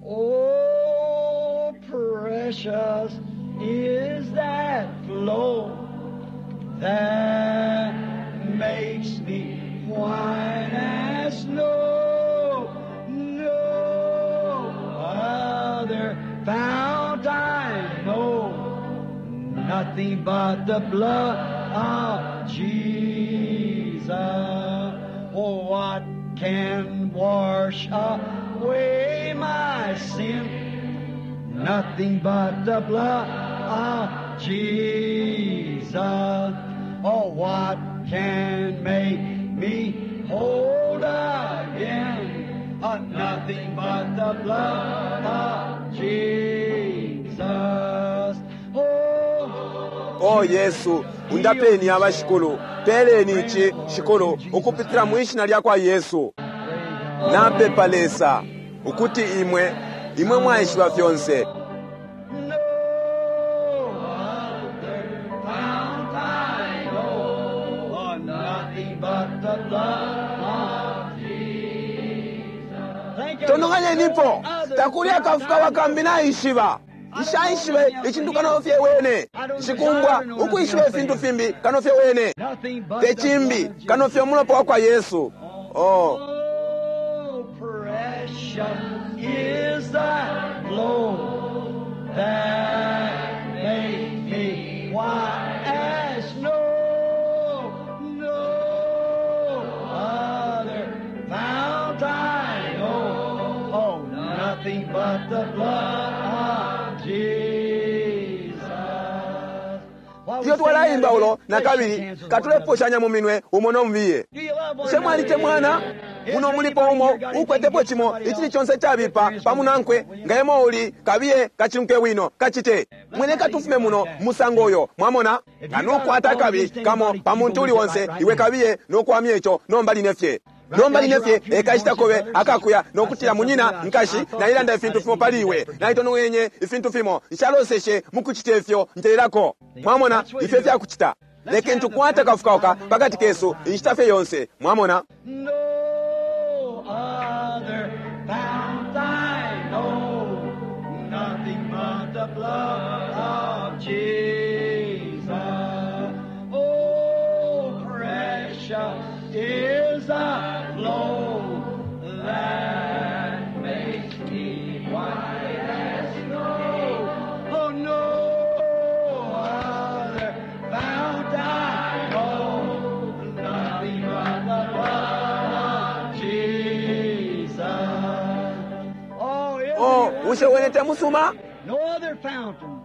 Oh, precious is that flow that makes me white as snow. No other fount I know, nothing but the blood of Jesus. Oh, what can wash away my sin? Nothing but the blood of Jesus. Oh, what can make me whole again? Nothing but the blood of Jesus. Oh, O Yesu, undapeni abashikulu, peleni ici shikulu ukupitila mwi shina lya kwa Yesu. Napepa Lesa ukuti imwe imwe mwaishiba fyonse. No other fount I know, oh, nothing but the blood of Jesus. Think of Tononganyenipo, other takuli akafuka wakambi naishiba. Nshaishibe icintu kano fye wene. Nshikumbwa ukwishiba ifintu fimbi kano fye wene. Nothing but Te the cimbi blood of kano fye umulopa wa kwa Yesu. Oh, Oh, precious is that flow that makes me white as snow. No other fount I know. Oh, nothing but the blood of Jesus. While we iyo sing that twalaimba ulo again, na let's shake kabili hands with one another. katuleposhanya mu minwe umo no mubiye. Do you love one Bushe mwalitemwana another? muno mulipo umo ukwetepo cimo icili conse cabipa pamunankwe nga emo uli kabiye kacimke wino kacite mwene katufume muno musango uyo mwamona nga nukwata akabi kamo pa muntu uli wonse iwe kabiye nokwamya ico nomba line fye nomba line fye ekashita kobe akakuya nokutila munyina nkashi nailanda ifintu fimo pali iwe naitonongenye ifintu fimo nshaloseshe mukucita ifyo ntelelako mwamona ifyo fyakucita lekeni tukwate akafukauka pakati kesu inshita fye yonse mwamona. No other fount I know, nothing but the blood of Jesus. Oh, precious is the flow that makes me white as snow. Oh, no other fount I know, nothing but the blood of Jesus. Oh, isn't Oh, it bushe wene temusuma no other fountain.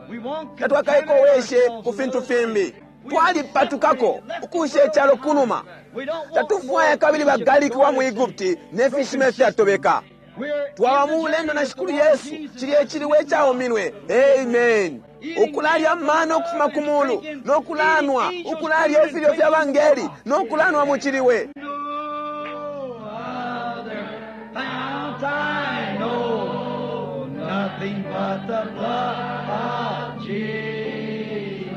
We won't tatwakaikoweshe contaminate ku ourselves fintu with fimbi We twalipatukako ukusha icalo kunuma We don't want tatufwaya kabili bagaliki wa mu Egupti ne fishima ifyatobeka. We're Twaba mu bulendo na Shikulu Yesu cilye ciliwe icauminwe. Amen. Ukulalya mano ukufuma ku mulu nokulanwa ukulalya ifilyo fya bangeli nokulanwa mu ciliwe. No other fount I know, nothing but the blood of Jesus.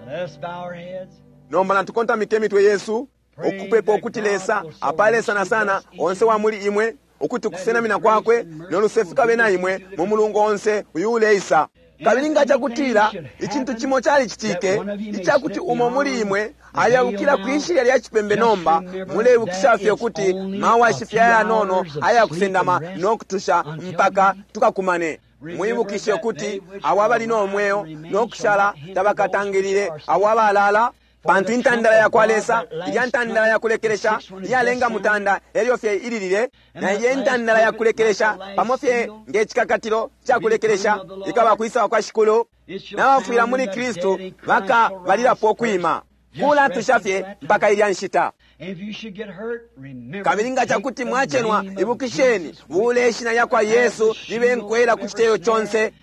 Let's bow our heads. Nomba natukontamike imitwe yesu ukupepa ukuti Lesa apale sana sana onse wa muli imwe. Ukuti ukusenamina kwakwe no luse fikabe na imwe mu mulungu onse uyu uleisa. Kabili nga cakutila icintu cimo calicitike icakuti umo muli imwe ayabukila kwishilya lya cipembe nomba, muleibukisha fye ukuti mawashi fye ayanono ayakusendama no kutusha mpaka tukakumane. Mwibukishe ukuti abo abali no mweo no kushala tabakatangilile abo abalala, pantu intandala ya kwa Lesa, ilya ntandala ya kulekelesha iyalenga mutanda elyo fye ililile, na ilya intandala ya kulekelesha pamo fye nge cikakatilo ca kulekelesha ikaba kwisa kwa Shikulu, na bafwila muli Kristu bakabalilapo kwima kulatusha fye mpaka ilya nshita. Kabili nga cakuti mwacenwa, ibukisheni bule ishina lya kwa Yesu libe nkwela ku citeyo conse.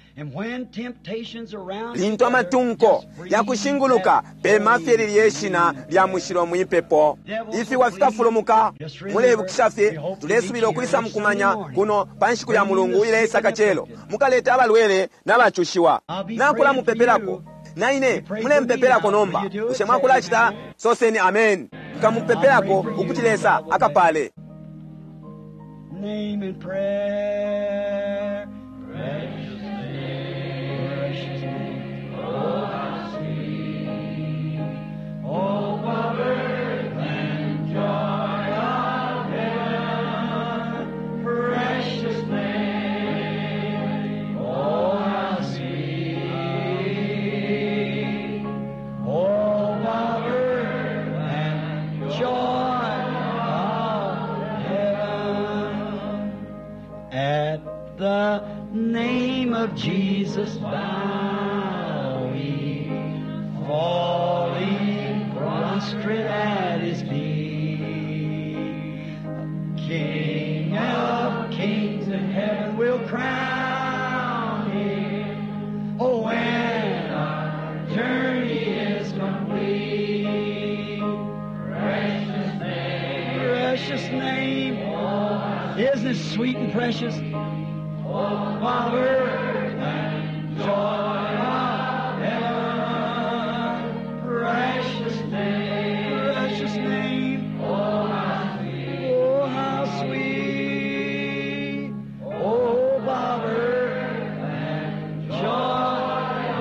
Lintu amatunko yakushinguluka, pema fye lilye shina lya mushilo mwipepo, ifiwa fikafulumuka. Muleibukisha fye, tulesubila ukwisa mukumanya kuno pa nshiku ya mulungu ileisa kacelo, mukaleta abalwele n'abacushiwa. Nakula mupepelako na ine, mulempepelako nomba. Bushe mwakulacita? Soseni amen. Nkamupepelako ukuti Lesa akapale. Name in prayer. Precious name, precious name, oh how sweet, oh power and joy of heaven. Precious name, oh how sweet, oh power and joy of heaven. At the name of Jesus bow we, falling prostrate at his feet. King of kings in heaven will crown him. Oh, when our journey is complete. Precious name, precious name. Isn't it sweet and precious? Oh, Father, and joy of heaven, precious name, precious name. Oh, how sweet, oh, how sweet. Oh, Father, and joy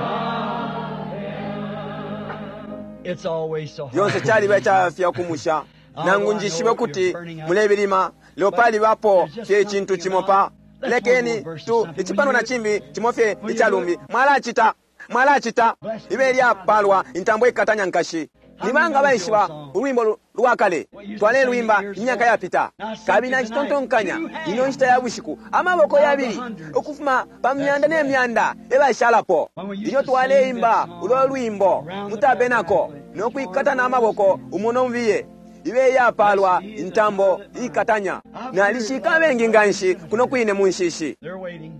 of heaven. It's always so hard. Lyonse caliba icayafya ukumusha. Nangu njishibe kuti mulebilima, lelo palibapo fye icintu cimo pa lekeni tu icipano na cimbi cimo fye icalumbi. Mwalacita, mwalacita ibe lyapalwa intambo ikatanya nkashi. Ni banga baishiba ulwimbo lwa kale twalelwimba imyaka yapita? Kabili nacitontonkanya ino nshita ya bushiku amaboko yabili ukufuma pa myanda ne myanda ebashalapo. Ilyo twaleimba ulo lwimbo mutabenako no kwikatana amaboko umo nomubiye, ibe yapalwa intambo ikatanya. Nalishika abengi nganshi kuno kwine mu nshishi. They're waiting.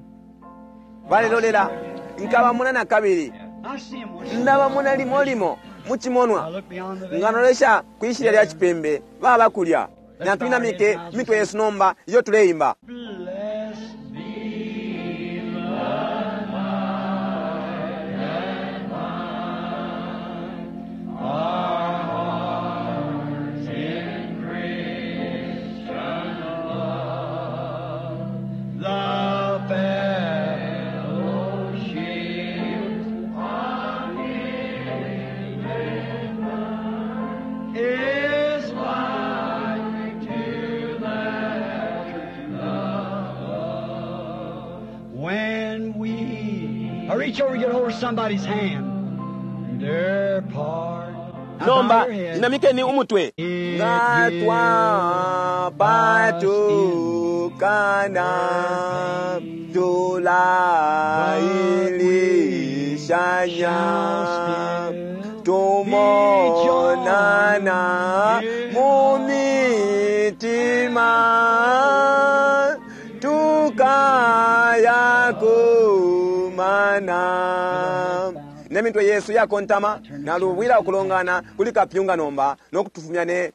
Balelolela nkabamona na kabili. I see 'em once. Ndabamona limo limo mu I cimonwa. look beyond the veil. Nganolesha kwishilya lya cipembe baba kulya. Natwinamike imitwe yesu nomba iyo tuleimba. Blessed be the Lord and mine, our hearts in Christian love, the fellowship of His love is like to that when we I reach over and get hold of somebody's hand. Their part. Now bow Nomba your head. inamikeni umutwe. Nga twapatukana tulailishanya tumonana mu mitima tukayakumana ne mitwe yesu yakontama nalubwila ukulongana kuli kapyunga nomba nokutufumya ne